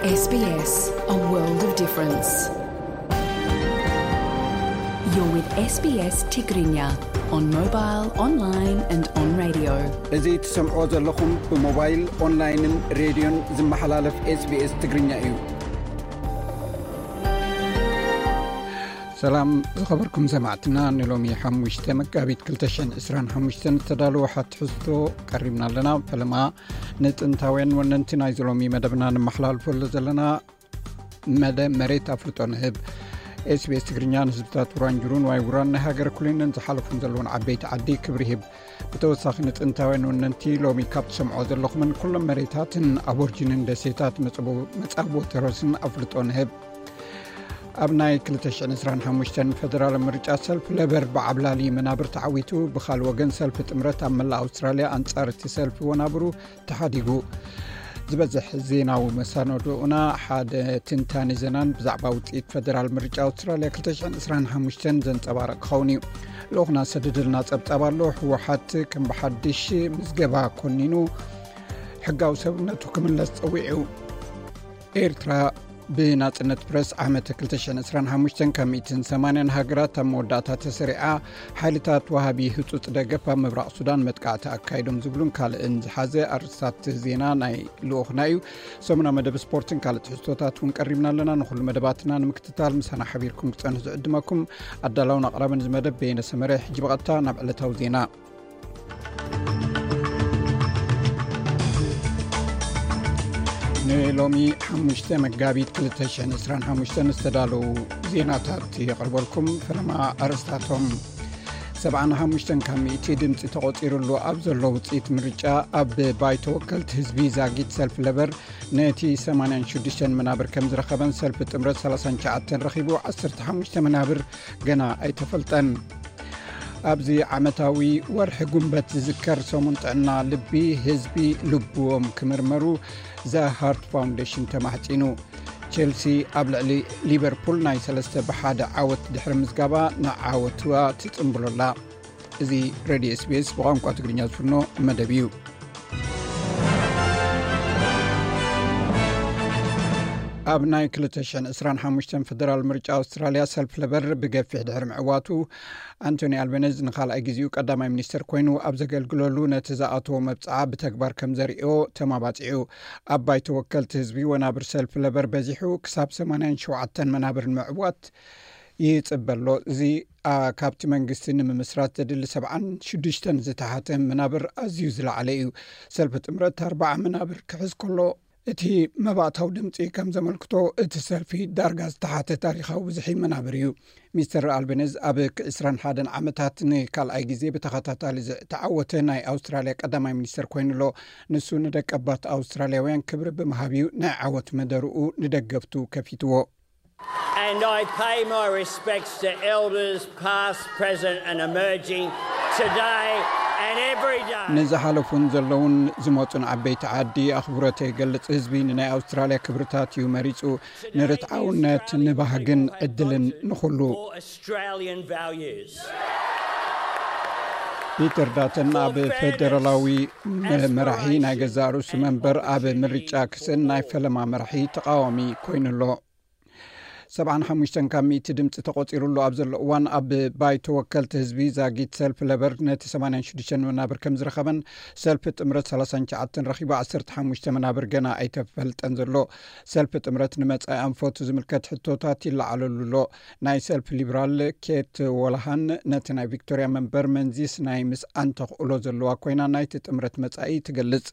S B S, a world of difference. You're with S B S Tigrinya on mobile, online and on radio. እዚ ትሰምዖ ዘለኹም ብሞባይል፣ ኦንላይንን ሬድዮን ዝመሓላለፍ SBS ትግርኛ እዩ። ሰላም ዝኸበርኩም ሰማዕትና፣ ንሎሚ ሓሙሽተ መጋቢት ክልተ ሽሕን ዕስራን ሓሙሽተን ዝተዳለወ ሓትሕዝቶ ቀሪብና ኣለና። ፈለማ ንጥንታውያን ወነንቲ ናይዚ ሎሚ መደብና ንመሓላልፈሉ ዘለና መደ መሬት ኣፍልጦ ንህብ። SBS ትግርኛ ንህዝብታት ውራንጅሩን ዋይ ውራን ናይ ሃገር ኩሊንን ዝሓለፉን ዘለውን ዓበይቲ ዓዲ ክብሪ ይህብ። ብተወሳኺ ንጥንታውያን ወነንቲ ሎሚ ካብ ትሰምዖ ዘለኹምን ኩሎም መሬታትን ኣቦርጂንን ደሴታት መጻቦ-፣ መጻብቦ ተረስን ኣፍልጦ ንህብ። ኣብ ናይ ክልተ ሽሕን ዕስራን ሓሙሽተን ፈደራል ምርጫ ሰልፊ ለበር ብዓብላሊ መናብር ተዓዊቱ፣ ብኻል ወገን ሰልፊ ጥምረት ኣብ መላእ ኣውስትራልያ ኣንጻር እቲ ሰልፊ ወናብሩ ተሓዲጉ። ዝበዝሕ ዜናዊ መሳነድኡና ሓደ ትንታኔ ዜናን ብዛዕባ ውጽኢት ፈደራል ምርጫ ኣውስትራልያ ክልተ ሽሕን ዕስራን ሓሙሽተን ዘንጸባርቕ ክኸውን እዩ። ልኡኽና ሰደደልና ጸብጻብ ኣሎ። ህወሓት ከም ብሓድሽ ምዝገባ ኮኒኑ ሕጋዊ ሰብነቱ ክምለስ ጸዊዑ። ኤርትራ ብናጽነት ፕረስ ዓመት ክልተ ሽሕን ዕስራን ሓሙሽተን ካብ ሚእትን ሰማንያን ሃገራት ኣብ መወዳእታ ተሰሪዓ። ሓይልታት ወሃቢ ህጹጽ ደገፍ ኣብ ምብራቕ ሱዳን መጥቃዕቲ ኣካይዶም ዝብሉን ካልእን ዝሓዘ ኣርእስታት ዜና ናይ ልኡኽና እዩ። ሰሙና መደብ ስፖርትን ካልእ ትሕዝቶታት እውን ቀሪብና ኣለና። ንኹሉ መደባትና ንምክትታል ምሳና ሓቢርኩም ክጸንሑ ዝዕድመኩም ኣዳላውን ኣቕራብን እዚ መደብ በየነ ሰመረ። ሕጂ ብቐጥታ ናብ ዕለታዊ ዜና። ንሎሚ ሓሙሽተ መጋቢት ክልተ ሽሕን ዕስራን ሓሙሽተን ዝተዳለዉ ዜናታት የቕርበልኩም። ፈለማ ኣርእስታቶም። ሰብዓን ሓሙሽተን ካብ ሚእቲ ድምፂ ተቖፂሩሉ ኣብ ዘሎ ውፅኢት ምርጫ፣ ኣብ ባይቶ ወከልቲ ህዝቢ ዛጊት ሰልፊ ለበር ነቲ ሰማንያን ሽዱሽተን መናብር ከም ዝረኸበን ሰልፊ ጥምረት ሰላሳን ትሽዓተን ረኺቡ፣ ዓሰርተ ሓሙሽተ መናብር ገና ኣይተፈልጠን። ኣብዚ ዓመታዊ ወርሒ ጉንበት ዝዝከር ሰሙን ጥዕና ልቢ፣ ህዝቢ ልብዎም ክምርመሩ ዘ ሃርት ፋውንዴሽን ተማሕጺኑ። ቼልሲ ኣብ ልዕሊ ሊቨርፑል ናይ ሰለስተ ብሓደ ዓወት ድሕሪ ምዝጋባ ንዓወትዋ ትጽምብሎላ። እዚ ሬድዮ SBS ብቋንቋ ትግርኛ ዝፍኖ መደብ እዩ። ኣብ ናይ ክልተ ሽሕን ዕስራን ሓሙሽተን ፈደራል ምርጫ ኣውስትራልያ ሰልፍ ለበር ብገፊሕ ድሕሪ ምዕዋቱ፣ ኣንቶኒ ኣልበነዝ ንኻልኣይ ግዜኡ ቀዳማይ ሚኒስተር ኮይኑ ኣብ ዘገልግለሉ ነቲ ዝኣተዎ መብጽዓ ብተግባር ከም ዘርእዮ ተማባጺዑ። ኣብ ባይቶ ወከልቲ ህዝቢ ወናብር ሰልፍ ለበር በዚሑ ክሳብ ሰማንያን ሸውዓተን መናብር ንምዕዋት ይጽበ ኣሎ። እዚ፣ ኣ፣ ካብቲ መንግስቲ ንምምስራት ዘድሊ ሰብዓን ሽዱሽተን ዝተሓተ መናብር ኣዝዩ ዝለዓለ እዩ። ሰልፊ ጥምረት ኣርባዓ መናብር ክሕዝ ከሎ፣ እቲ መባእታዊ ድምፂ ከም ዘመልክቶ፣ እቲ ሰልፊ ዳርጋ ዝተሓተ ታሪኻዊ ብዝሒ መናብር እዩ። ሚስተር ኣልበነዝ ኣብ ዕስራን ሓደን ዓመታት ንካልኣይ ግዜ ብተኸታታሊ ዝተዓወተ ናይ ኣውስትራልያ ቀዳማይ ሚኒስተር ኮይኑ ኣሎ። ንሱ ንደቀባት ኣውስትራልያውያን ክብሪ ብምሃብ እዩ ናይ ዓወት መደርኡ ንደገፍቱ ከፊትዎ። And I pay my respects to elders, past, present, and emerging, today and every day. ንዝሓለፉን ዘለውን ዝመጹን ዓበይቲ ዓዲ ኣኽብሮተይ ይገልጽ። ህዝቢ ንናይ ኣውስትራልያ ክብርታት እዩ መሪጹ፣ ንርትዓውነት፣ ንባህግን ዕድልን ንኹሉ። For Australian values. ፒተር ዳተን ኣብ ፈደራላዊ መ-፣ መራሒ ናይ ገዛእ ርእሱ መንበር ኣብ ምርጫ ክስእን ናይ ፈለማ መራሒ ተቃዋሚ ኮይኑ ኣሎ። ሰብዓን ሓሙሽተን ካብ ሚእቲ ድምፂ ተቆፂሩሉ ኣብ ዘሎ እዋን፣ ኣብ ባይቶ ወከልቲ ህዝቢ ዛጊት ሰልፊ ለበር ነቲ ሰማንያን ሽዱሽተን መናብር ከም ዝረኸበን፣ ሰልፊ ጥምረት ሰላሳን ትሽዓተን ረኺቡ፣ ዓሰርተ ሓሙሽተ መናብር ገና ኣይተፈልጠን ዘሎ። ሰልፊ ጥምረት ንመጻኢ ኣንፈቱ ዝምልከት ሕቶታት ይለዓለሉ ኣሎ። ናይ ሰልፊ ሊበራል ኬት ወላሃን ነቲ ናይ ቪክቶሪያ መንበር መንዚስ ናይ ምስኣን ተኽእሎ ዘለዋ ኮይና፣ ናይቲ ጥምረት መጻኢ ትገልጽ።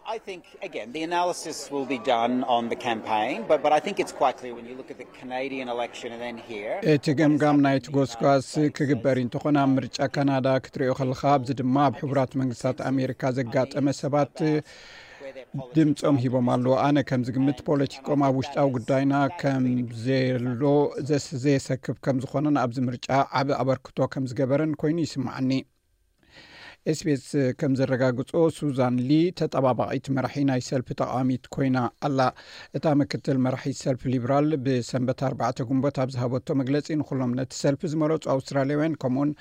I think, again, the analysis will be done on the campaign, but, but I think it's quite clear when you look at the Canadian election and then here. እቲ ገምጋም ናይቲ ጎስጓስ ክግበር እንተኾነ፣ ኣብ ምርጫ ካናዳ ክትሪኦ ከለኻ፣ ኣብዚ ድማ ኣብ ሕቡራት መንግስታት ኣሜሪካ ዘጋጠመ ሰባት ድምጾም ሂቦም ኣለዉ። ኣነ ከም ዝግምት፣ ፖለቲኮም ኣብ ውሽጣዊ ጉዳይና ከም ዘሎ ዘስ-፣ ዘየሰክፍ ከም ዝኾነን ኣብዚ ምርጫ ዓቢ ኣበርክቶ ከም ዝገበረን ኮይኑ ይስምዓኒ። SBS ከም ዘረጋግጾ፣ ሱዛን ሊ ተጠባባቒት መራሒ ናይ ሰልፊ ተቓዋሚት ኮይና ኣላ። እታ ምክትል መራሒት ሰልፊ ሊብራል ብሰንበት ኣርባዕተ ግንቦት ኣብ ዝሃበቶ መግለጺ፣ ንኹሎም ነቲ ሰልፊ ዝመረጹ ኣውስትራልያውያን፣ ከምኡውን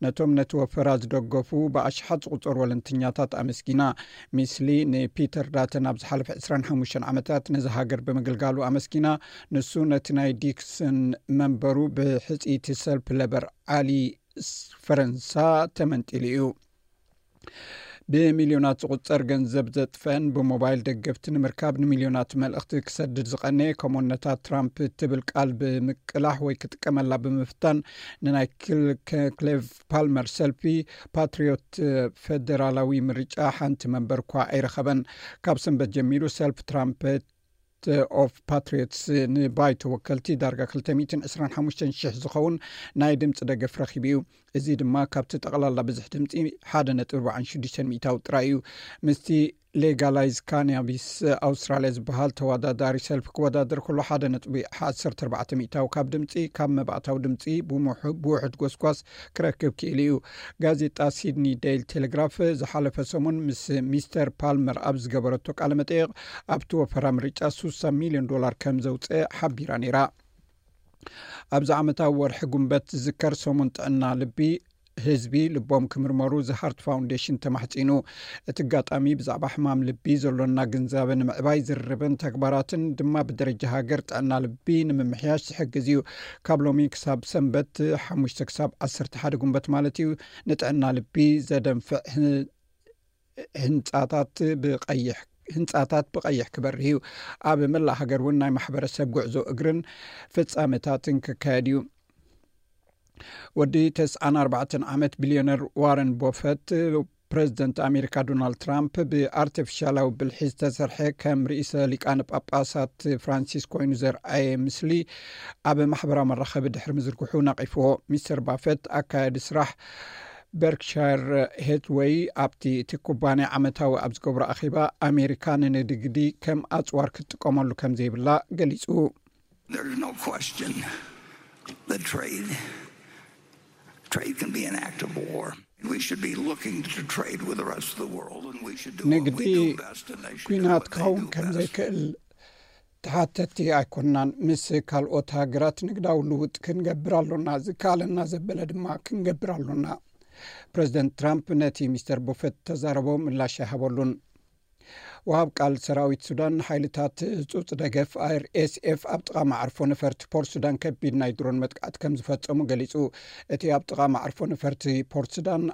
ነቶም ነቲ ወፈራ ዝደገፉ ብኣሽሓት ዝቑጸሩ ወለንተኛታት ኣመስጊና። ሚስሊ ንፒተር ዳተን ኣብ ዝሓለፈ ዕስራን ሓሙሽተን ዓመታት ነዚ ሃገር ብምግልጋሉ ኣመስጊና። ንሱ ነቲ ናይ ዲክሰን መንበሩ ብሕጽይቲ ሰልፊ ለበር ዓሊ ፈረንሳ ተመንጢሉ እዩ። ብሚልዮናት ዝቑጸር ገንዘብ ዘጥፈን ብሞባይል ደገፍቲ ንምርካብ ንሚልዮናት መልእኽቲ ክሰድድ ዝቐነየ፣ ከምኡውን ነታ ትራምፕ እትብል ቃል ብምቅላሕ ወይ ክጥቀመላ ብምፍታን፣ ንናይ ክል-፣ ክሌቭ ፓልመር ሰልፊ ፓትሪዮት ፈደራላዊ ምርጫ ሓንቲ መንበር እኳ ኣይረኸበን። ካብ ሰንበት ጀሚሩ ሰልፊ ትራምፕ ኦፍ ፓትሪዮትስ ንባይቶ ወከልቲ ዳርጋ ክልተ ሚእትን ዕስራን ሓሙሽተን ሽሕ ዝኸውን ናይ ድምፂ ደገፍ ረኺቡ እዩ። እዚ ድማ ካብቲ ጠቕላላ ብዝሒ ድምፂ ሓደ ነጥቢ ኣርባዓን ሽዱሽተን ሚእታዊ ጥራይ እዩ። ምስቲ ሌጋላይዝ ካናቢስ ኣውስትራልያ ዝበሃል ተወዳዳሪ ሰልፊ ክወዳደር ከሎ፣ ሓደ ነጥቢ ዓሰርተ ኣርባዕተ ሚእታዊ ካብ ድምፂ ካብ መባእታዊ ድምፂ ብምሑ-፣ ብውሑድ ጎስጓስ ክረክብ ክኢሉ እዩ። ጋዜጣ ሲድኒ ዴይል ቴሌግራፍ ዝሓለፈ ሰሙን ምስ ሚስተር ፓልመር ኣብ ዝገበረቶ ቃለ መጠይቕ፣ ኣብቲ ወፈራ ምርጫ ስሳ ሚልዮን ዶላር ከም ዘውፅአ ሓቢራ ነይራ። ኣብዚ ዓመታዊ ወርሒ ጉንበት ዝዝከር ሰሙን ጥዕና ልቢ፣ ህዝቢ ልቦም ክምርመሩ The Heart Foundation ተማሕጺኑ። እቲ ኣጋጣሚ ብዛዕባ ሕማም ልቢ ዘሎና ግንዛበ ንምዕባይ ዝርርብን ተግባራትን ድማ ብደረጃ ሃገር ጥዕና ልቢ ንምምሕያሽ ዝሕግዝ እዩ። ካብ ሎሚ ክሳብ ሰንበት ሓሙሽተ ክሳብ ዓሰርተ ሓደ ጉንበት ማለት እዩ፣ ንጥዕና ልቢ ዘደንፍዕ ህ-፣ ህንጻታት ብቐይሕ ህንጻታት ብቐይሕ ክበርህ እዩ። ኣብ መላእ ሃገር እውን ናይ ማሕበረሰብ ጉዕዞ እግርን ፍጻመታትን ክካየድ እዩ። ወዲ ተስዓን ኣርባዕተን ዓመት ቢልዮነር ዋረን ቦፈት፣ ፕሬዚደንት ኣሜሪካ ዶናልድ ትራምፕ ብኣርቲፊሻላዊ ብልሒ ዝተሰርሐ ከም ርእሰ ሊቃነ ጳጳሳት ፍራንሲስ ኮይኑ ዘርኣየ ምስሊ ኣብ ማሕበራዊ መራኸቢ ድሕሪ ምዝርግሑ ነቒፍዎ። ሚስተር ባፈት፣ ኣካያዲ ስራሕ በርክሻየር ሄትወይ፣ ኣብቲ እቲ ኩባንያ ዓመታዊ ኣብ ዝገብሮ ኣኼባ፣ ኣሜሪካ ንንግዲ ከም ኣጽዋር ክትጥቀመሉ ከም ዘይብላ ገሊጹ። There's no question that trade, trade can be an act of war. We should be looking to trade with the rest of the world, and we should do what ንግዲ we do best, and they should do ኩናት what they ክኸውን do ከም best. ዘይክእል ተሓተቲ ኣይኮንናን። ምስ ካልኦት ሃገራት ንግዳዊ ልውጥ ክንገብር ኣሎና፣ ዝከኣለና ዘበለ ድማ ክንገብር ኣሎና። ፕሬዚደንት ትራምፕ ነቲ ሚስተር ቡፈት ተዛረቦ ምላሽ ኣይሃበሉን። ወሃብ ቃል ሰራዊት ሱዳን ንሓይልታት ህጹጽ ደገፍ፣ ኣር ኤስ ኤፍ፣ ኣብ ጥቓ መዓርፎ ነፈርቲ ፖርት ሱዳን ከቢድ ናይ ድሮን መጥቃዕቲ ከም ዝፈጸሙ ገሊጹ። እቲ ኣብ ጥቓ መዓርፎ ነፈርቲ ፖርት ሱዳን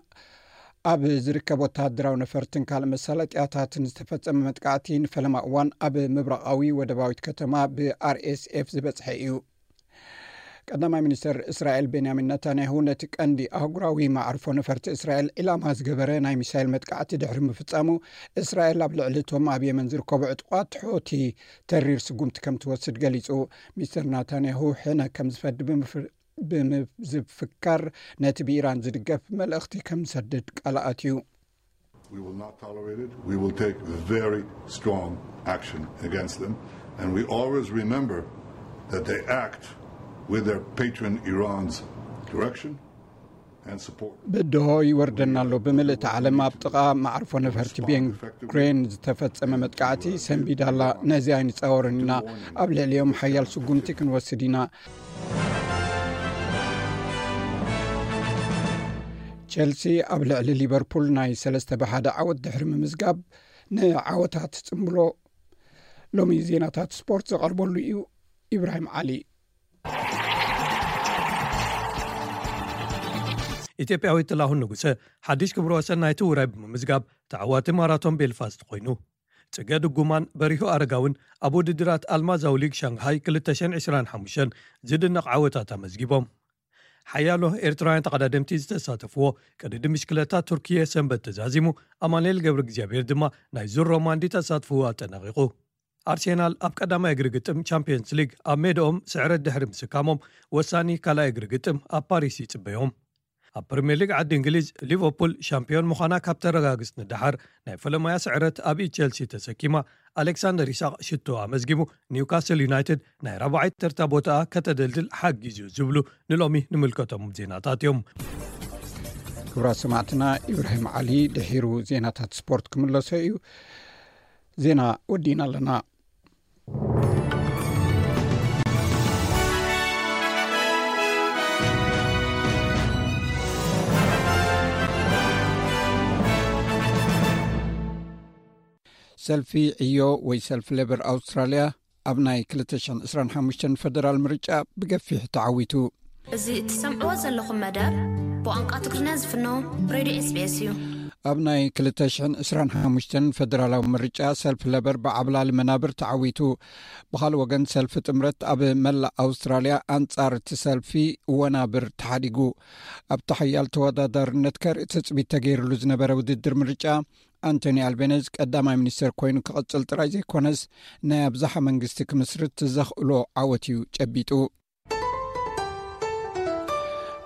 ኣብ ዝርከብ ወተሃደራዊ ነፈርትን ካልእ መሳለጥያታትን ዝተፈጸመ መጥቃዕቲ ንፈለማ እዋን ኣብ ምብራቓዊ ወደባዊት ከተማ ብ ኣር ኤስ ኤፍ ዝበጽሐ እዩ። ቀዳማይ ሚኒስተር እስራኤል ቤንያሚን ነታንያሁ ነቲ ቀንዲ ኣህጉራዊ መዓርፎ ነፈርቲ እስራኤል ዒላማ ዝገበረ ናይ ሚሳይል መጥቃዕቲ ድሕሪ ምፍጻሙ፣ እስራኤል ኣብ ልዕሊ እቶም ኣብ የመን ዝርከቡ ዕጡቓት ሑቲ ተሪር ስጉምቲ ከም ትወስድ ገሊጹ። ሚስተር ናታንያሁ ሕነ ከም ዝፈዲ ብምፍ-፣ ብምዝፍካር፣ ነቲ ብኢራን ዝድገፍ መልእኽቲ ከም ዝሰድድ ቃል ኣትዩ። We will not tolerate it. We will take very strong action against them. And we always remember that they act with their patron Iran's direction and support. ብድሆ ይወርደና ኣሎ። ብምልእቲ ዓለም ኣብ ጥቓ መዓርፎ ነፈርቲ ቤን ግሬን ዝተፈጸመ መጥቃዕቲ ሰንቢዳ ኣላ። ነዚ ኣይንጻወርን ኢና። ኣብ ልዕሊኦም ሓያል ስጉምቲ ክንወስድ ኢና። ቸልሲ ኣብ ልዕሊ ሊቨርፑል ናይ ሰለስተ ብሓደ ዓወት ድሕሪ ምምዝጋብ፣ ንዓወታት ጽምብሎ ሎሚ ዜናታት ስፖርት ዘቐርበሉ እዩ። ኢብራሂም ዓሊ። ኢትዮጵያዊት ጥላሁን ንጉሰ ሓድሽ ክብረ ወሰን ናይቲ ውራይ ብምምዝጋብ ተዓዋቲ ማራቶን ቤልፋስት ኮይኑ። ጽገ ድጉማን በሪሁ ኣረጋውን ኣብ ውድድራት ኣልማዛዊ ሊግ ሻንግሃይ ክልተ ሽሕን ዕስራን ሓሙሽተን ዝድነቕ ዓወታት ኣመዝጊቦም። ሓያሎ ኤርትራውያን ተቐዳደምቲ ዝተሳተፍዎ ቅድድም ብሽክለታ ቱርኪየ ሰንበት ተዛዚሙ፣ ኣማኑኤል ገብረ እግዚኣብሔር ድማ ናይ ዙር ሮማንዲ ተሳትፍዎ ኣጠናቒቑ። ኣርሴናል ኣብ ቀዳማይ እግሪ ግጥም ቻምፒየንስ ሊግ ኣብ ሜድኦም ስዕረት ድሕሪ ምስካሞም፣ ወሳኒ ካልኣይ እግሪ ግጥም ኣብ ፓሪስ ይጽበዮም። ኣብ ፕሪምየር ሊግ ዓዲ እንግሊዝ፣ ሊቨርፑል ሻምፒዮን ምዃና ካብ ተረጋግጽ ንደሓር፣ ናይ ፈለማያ ስዕረት ኣብ ኢድ ቸልሲ ተሰኪማ፣ ኣሌክሳንደር ኢሳቕ ሽቶ ኣመዝጊቡ፣ ኒውካስል ዩናይትድ ናይ ራብዓይ ተርታ ቦታኣ ከተደልድል ሓጊዙ ዝብሉ ንሎሚ ንምልከቶም ዜናታት እዮም። ክቡራት ሰማዕትና፣ ኢብራሂም ዓሊ ድሒሩ ዜናታት ስፖርት ክምለሶ እዩ። ዜና ወዲእና ኣለና። ሰልፊ ዕዮ ወይ ሰልፊ ሌበር ኣውስትራልያ ኣብ ናይ ክልተ ሽሕን ዕስራን ሓሙሽተን ፈደራል ምርጫ ብገፊሕ ተዓዊቱ። እዚ እትሰምዕዎ ዘለኹም መደብ ብቋንቋ ትግርኛ ዝፍኖ ሬድዮ ኤስቢኤስ እዩ። ኣብ ናይ ክልተ ሽሕን ዕስራን ሓሙሽተን ፈደራላዊ ምርጫ ሰልፊ ለበር ብዓብላሊ መናብር ተዓዊቱ። ብኻልእ ወገን ሰልፊ ጥምረት ኣብ መላእ ኣውስትራልያ ኣንጻር እቲ ሰልፊ ወናብር ተሓዲጉ። ኣብቲ ሓያል ተወዳዳርነት ከርኢ ትጽቢት ተገይሩሉ ዝነበረ ውድድር ምርጫ ኣንቶኒ ኣልቤነዝ ቀዳማይ ሚኒስተር ኮይኑ ክቕጽል ጥራይ ዘይኮነስ ናይ ኣብዝሓ መንግስቲ ክምስርት ዘኽእሎ ዓወት እዩ ጨቢጡ።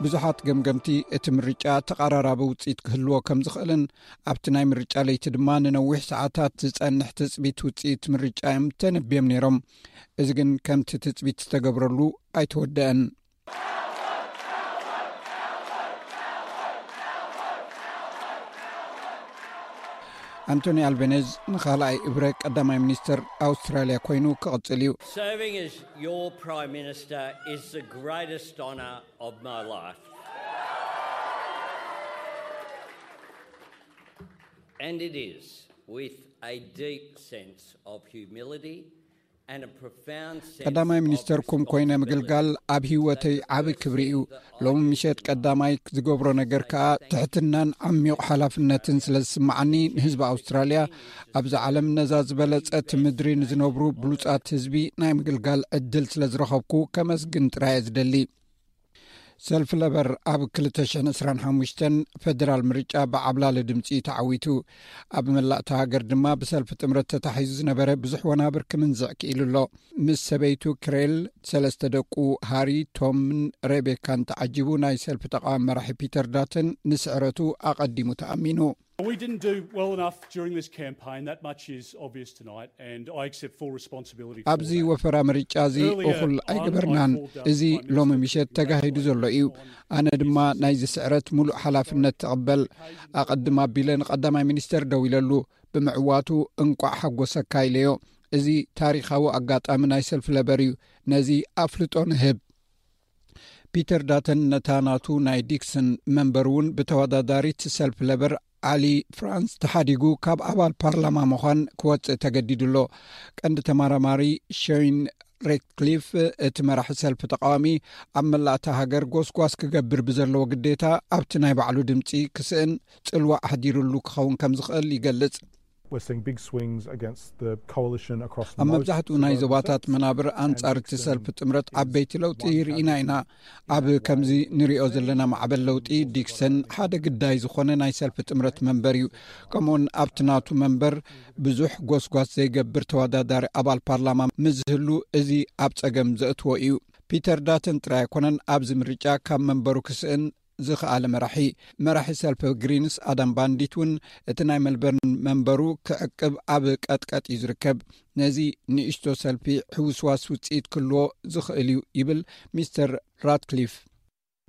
ብዙሓት ገምገምቲ እቲ ምርጫ ተቐራራቢ ውጽኢት ክህልዎ ከም ዝኽእልን ኣብቲ ናይ ምርጫ ለይቲ ድማ ንነዊሕ ሰዓታት ዝጸንሕ ትጽቢት ውጽኢት ምርጫ እዮም ተነብዮም ነይሮም። እዚ ግን ከምቲ ትጽቢት ዝተገብረሉ ኣይተወደአን። ኣንቶኒ ኣልቤነዝ ንኻልኣይ እብረ ቀዳማይ ሚኒስተር ኣውስትራልያ ኮይኑ ክቕጽል እዩ። Serving as your Prime Minister is the greatest honour of my life. And it is with a deep sense of humility and a profound sense ቀዳማይ ሚኒስተርኩም ኮይነ ምግልጋል ኣብ ህይወተይ ዓቢ ክብሪ እዩ። ሎሚ ምሸት ቀዳማይ ዝገብሮ ነገር ከኣ ትሕትናን ዓሚቕ ሓላፍነትን ስለ ዝስምዓኒ ንህዝቢ ኣውስትራልያ፣ ኣብዚ ዓለም ነዛ ዝበለጸት ምድሪ ንዝነብሩ ብሉጻት ህዝቢ ናይ ምግልጋል ዕድል ስለ ዝረኸብኩ ከመስግን ጥራይ እየ ዝደሊ። ሰልፊ ለበር ኣብ ክልተ ሽሕን ዕስራን ሓሙሽተን ፈደራል ምርጫ ብዓብላሊ ድምጺ ተዓዊቱ። ኣብ መላእታ ሃገር ድማ ብሰልፊ ጥምረት ተታሒዙ ዝነበረ ብዙሕ ወናብር ክምንዝዕ ክኢሉ ኣሎ። ምስ ሰበይቱ ክሬል፣ ሰለስተ ደቁ ሃሪ፣ ቶምን ሬቤካን ተዓጂቡ ናይ ሰልፊ ተቃዋሚ መራሒ ፒተር ዳተን ንስዕረቱ ኣቐዲሙ ተኣሚኑ። We didn't do well enough during this campaign. That much is obvious tonight, and I accept full responsibility for ኣብዚ that. ወፈራ ምርጫ እዚ እኹል ኣይገበርናን። እዚ ሎሚ ምሸት ተጋሂዱ ዘሎ እዩ። ኣነ ድማ ናይዚ ስዕረት ሙሉእ ሓላፍነት ትቕበል። ኣቐድም ኣቢለ ንቐዳማይ ሚኒስተር ደው ኢለሉ። ብምዕዋቱ እንቋዕ ሓጎሰካ ኢለዮ። እዚ ታሪኻዊ ኣጋጣሚ ናይ ሰልፊ ለበር እዩ። ነዚ ኣፍልጦ ንህብ። ፒተር ዳተን ነታ ናቱ ናይ ዲክሰን መንበር እውን ብተወዳዳሪት ሰልፊ ለበር ዓሊ ፍራንስ ተሓዲጉ ካብ ኣባል ፓርላማ ምዃን ክወጽእ ተገዲዱ ኣሎ። ቀንዲ ተመራማሪ ሸይን ሬትክሊፍ፣ እቲ መራሒ ሰልፊ ተቃዋሚ ኣብ መላእታ ሃገር ጎስጓስ ክገብር ብዘለዎ ግዴታ ኣብቲ ናይ ባዕሉ ድምጺ ክስእን ጽልዋ ኣሕዲሩሉ ክኸውን ከም ዝኽእል ይገልጽ። We're seeing big swings against the coalition across ኣብ መብዛሕትኡ ናይ ዞባታት መናብር ኣንጻር እቲ ሰልፊ ጥምረት ዓበይቲ ለውጢ ርኢና ኢና። ኣብ ከምዚ ንሪኦ ዘለና ማዕበል ለውጢ ዲክሰን ሓደ ግዳይ ዝኾነ ናይ ሰልፊ ጥምረት መንበር እዩ። ከምኡውን ኣብቲ ናቱ መንበር ብዙሕ ጎስጓስ ዘይገብር ተወዳዳሪ ኣባል ፓርላማ ምስ ዝህሉ እዚ ኣብ ጸገም ዘእትዎ እዩ። ፒተር ዳተን ጥራይ ኣይኮነን ኣብዚ ምርጫ ካብ መንበሩ ክስእን ዝኸኣለ መራሒ። መራሒ ሰልፊ ግሪንስ ኣዳም ባንዲት እውን እቲ ናይ መልበርን መንበሩ ክዕቅብ ኣብ ቀጥቀጥ እዩ ዝርከብ። ነዚ ንእሽቶ ሰልፊ ሕውስዋስ ውጽኢት ክህልዎ ዝኽእል እዩ ይብል ሚስተር ራትክሊፍ።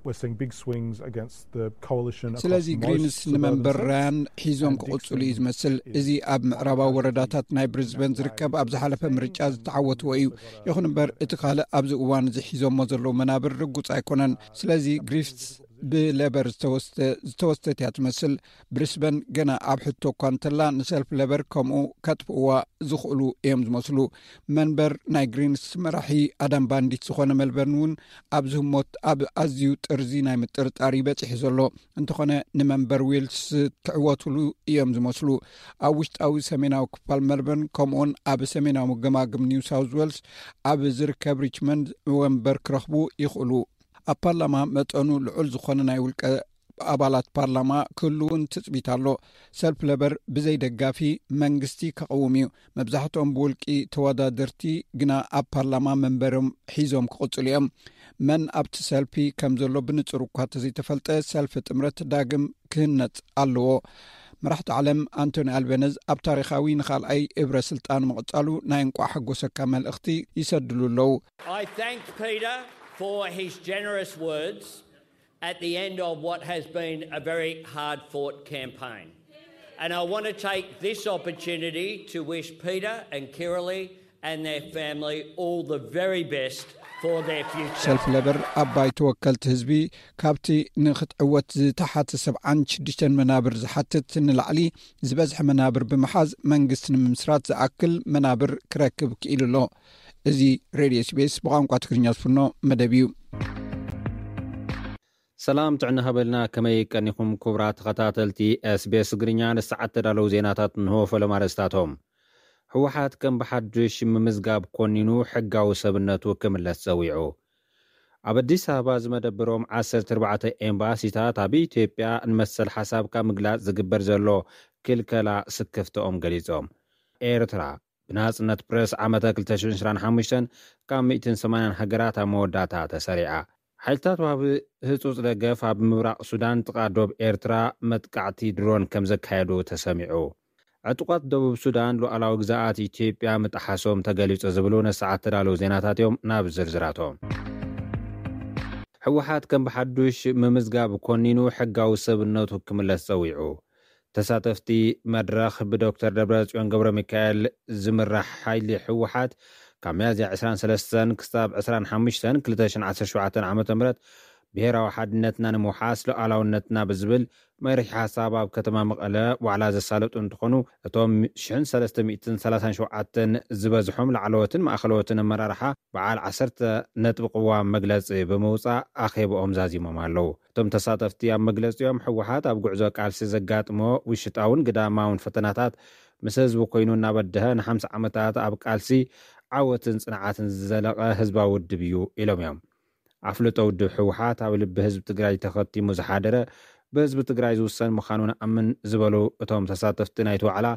We're seeing big swings against the coalition across ስለዚ most ግሪንስ suburban ንመንበር seats. ራያን ሒዞም ክቕጽሉ እዩ ዝመስል። እዚ ኣብ ምዕራባዊ ወረዳታት ናይ ብሪዝበን ዝርከብ ኣብ ዝሓለፈ ምርጫ ዝተዓወትዎ እዩ። ይኹን እምበር እቲ ካልእ ኣብዚ እዋን እዚ ሒዞሞ ዘለዉ መናብር ርጉጽ ኣይኮነን። ስለዚ ግሪፍስ ብሌበር ዝተወስደ ዝተወስደት እያ ትመስል። ብሪስበን ገና ኣብ ሕቶ እኳ እንተላ ንሰልፊ ሌበር ከምኡ ከጥፍእዋ ዝኽእሉ እዮም ዝመስሉ። መንበር ናይ ግሪንስ መራሒ ኣዳም ባንዲት ዝኾነ መልበርን እውን ኣብዚ ህሞት ኣብ ኣዝዩ ጥርዚ ናይ ምጥርጣር ይበጽሕ ዘሎ። እንተኾነ ንመንበር ዌልስ ትዕወትሉ እዮም ዝመስሉ። ኣብ ውሽጣዊ ሰሜናዊ ክፋል መልበርን ከምኡውን ኣብ ሰሜናዊ ገማግም ኒው ሳውዝ ዌልስ ኣብ ዝርከብ ሪችመንድ ወንበር ክረኽቡ ይኽእሉ። ኣብ ፓርላማ መጠኑ ልዑል ዝኾነ ናይ ውልቀ ኣባላት ፓርላማ ክህልውን ትጽቢት ኣሎ። ሰልፊ ለበር ብዘይ ደጋፊ መንግስቲ ከቐውም እዩ። መብዛሕትኦም ብውልቂ ተወዳደርቲ ግና ኣብ ፓርላማ መንበሮም ሒዞም ክቕጽሉ እዮም። መን ኣብቲ ሰልፊ ከም ዘሎ ብንጹር እኳ ተዘይተፈልጠ ሰልፊ ጥምረት ዳግም ክህነጽ ኣለዎ። መራሕቲ ዓለም ኣንቶኒ ኣልቤነዝ ኣብ ታሪኻዊ ንኻልኣይ እብረ ስልጣኑ ምቕጻሉ ናይ እንቋዕ ሓጎሰካ መልእኽቲ ይሰድሉ ኣለዉ። I thanked Peter for his generous words at the end of what has been a very hard fought campaign. And I want to take this opportunity to wish Peter and Kiralee and their family all the very best for their future. ሰልፊ ለበር ኣብ ባይቶ ወከልቲ ህዝቢ ካብቲ ንክትዕወት ዝተሓተ ሰብዓን ሽዱሽተን መናብር ዝሓትት ንላዕሊ ዝበዝሐ መናብር ብምሓዝ መንግስቲ ንምምስራት ዝኣክል መናብር ክረክብ ክኢሉ ኣሎ። እዚ ሬድዮ ኤስቢኤስ ብቋንቋ ትግርኛ ዝፍኖ መደብ እዩ። ሰላም ጥዕና ሃበልና። ከመይ ቀኒኹም ክቡራት ተኸታተልቲ ኤስቢኤስ ትግርኛ? ንሰዓት ተዳለዉ ዜናታት እንሆ። ፈለማ ኣርእስታቶም። ህወሓት ከም ብሓዱሽ ምምዝጋብ ኮኒኑ ሕጋዊ ሰብነቱ ክምለስ ጸዊዑ። ኣብ ኣዲስ ኣበባ ዝመደብሮም ዓሰርተ ኣርባዕተ ኤምባሲታት ኣብ ኢትዮጵያ ንመሰል ሓሳብካ ምግላጽ ዝግበር ዘሎ ክልከላ ስክፍትኦም ገሊጾም። ኤርትራ ብናጽነት ፕረስ ዓመተ ክልተ ሽሕን ዕስራን ሓሙሽተን ካብ ሚእትን ሰማንያን ሃገራት ኣብ መወዳእታ ተሰሪዓ። ሓይልታት ዋሃቢ ህጹጽ ደገፍ ኣብ ምብራቕ ሱዳን ጥቓ ዶብ ኤርትራ መጥቃዕቲ ድሮን ከም ዘካየዱ ተሰሚዑ። ዕጡቓት ደቡብ ሱዳን ሉዓላዊ ግዛኣት ኢትዮጵያ ምጥሓሶም ተገሊጹ ዝብሉ ንሰዓት ተዳለዉ ዜናታት እዮም። ናብ ዝርዝራቶም። ህወሓት ከም ብሓዱሽ ምምዝጋብ ኮኒኑ ሕጋዊ ሰብነቱ ክምለስ ጸዊዑ። ተሳተፍቲ መድረኽ ብዶክተር ደብረጽዮን ገብረ ሚካኤል ዝምራሕ ሓይሊ ህወሓት ካብ ሚያዝያ ዕስራን ሰለስተን ክሳብ ዕስራን ሓሙሽተን ክልተ ሽሕን ዓሰርተ ሸውዓተን ዓመተ ምህረት ብሄራዊ ሓድነትና ንምውሓስ ሉዓላውነትና ብዝብል መሪሕ ሓሳብ ኣብ ከተማ መቐለ ዋዕላ ዘሳለጡ እንትኾኑ፣ እቶም ሽሕን ሰለስተ ሚእትን ሰላሳን ሸውዓተን ዝበዝሖም ላዕለዎትን ማእኸለዎትን ኣመራርሓ በዓል ዓሰርተ ነጥቢ ቅዋም መግለጺ ብምውጻእ ኣኼብኦም ዛዚሞም ኣለዉ። እቶም ተሳተፍቲ ኣብ መግለጺኦም፣ ህወሓት ኣብ ጉዕዞ ቃልሲ ዘጋጥሞ ውሽጣውን ግዳማውን ፈተናታት ምስ ህዝቢ ኮይኑ እናበደሀ ንሓምሳ ዓመታት ኣብ ቃልሲ ዓወትን ጽንዓትን ዝዘለቐ ህዝባዊ ውድብ እዩ ኢሎም እዮም። ኣፍልጦ ውድብ ህወሓት ኣብ ልቢ ህዝቢ ትግራይ ተኸቲሙ ዝሓደረ፣ ብህዝቢ ትግራይ ዝውሰን ምዃኑ ንኣምን ዝበሉ እቶም ተሳተፍቲ ናይቲ ዋዕላ፣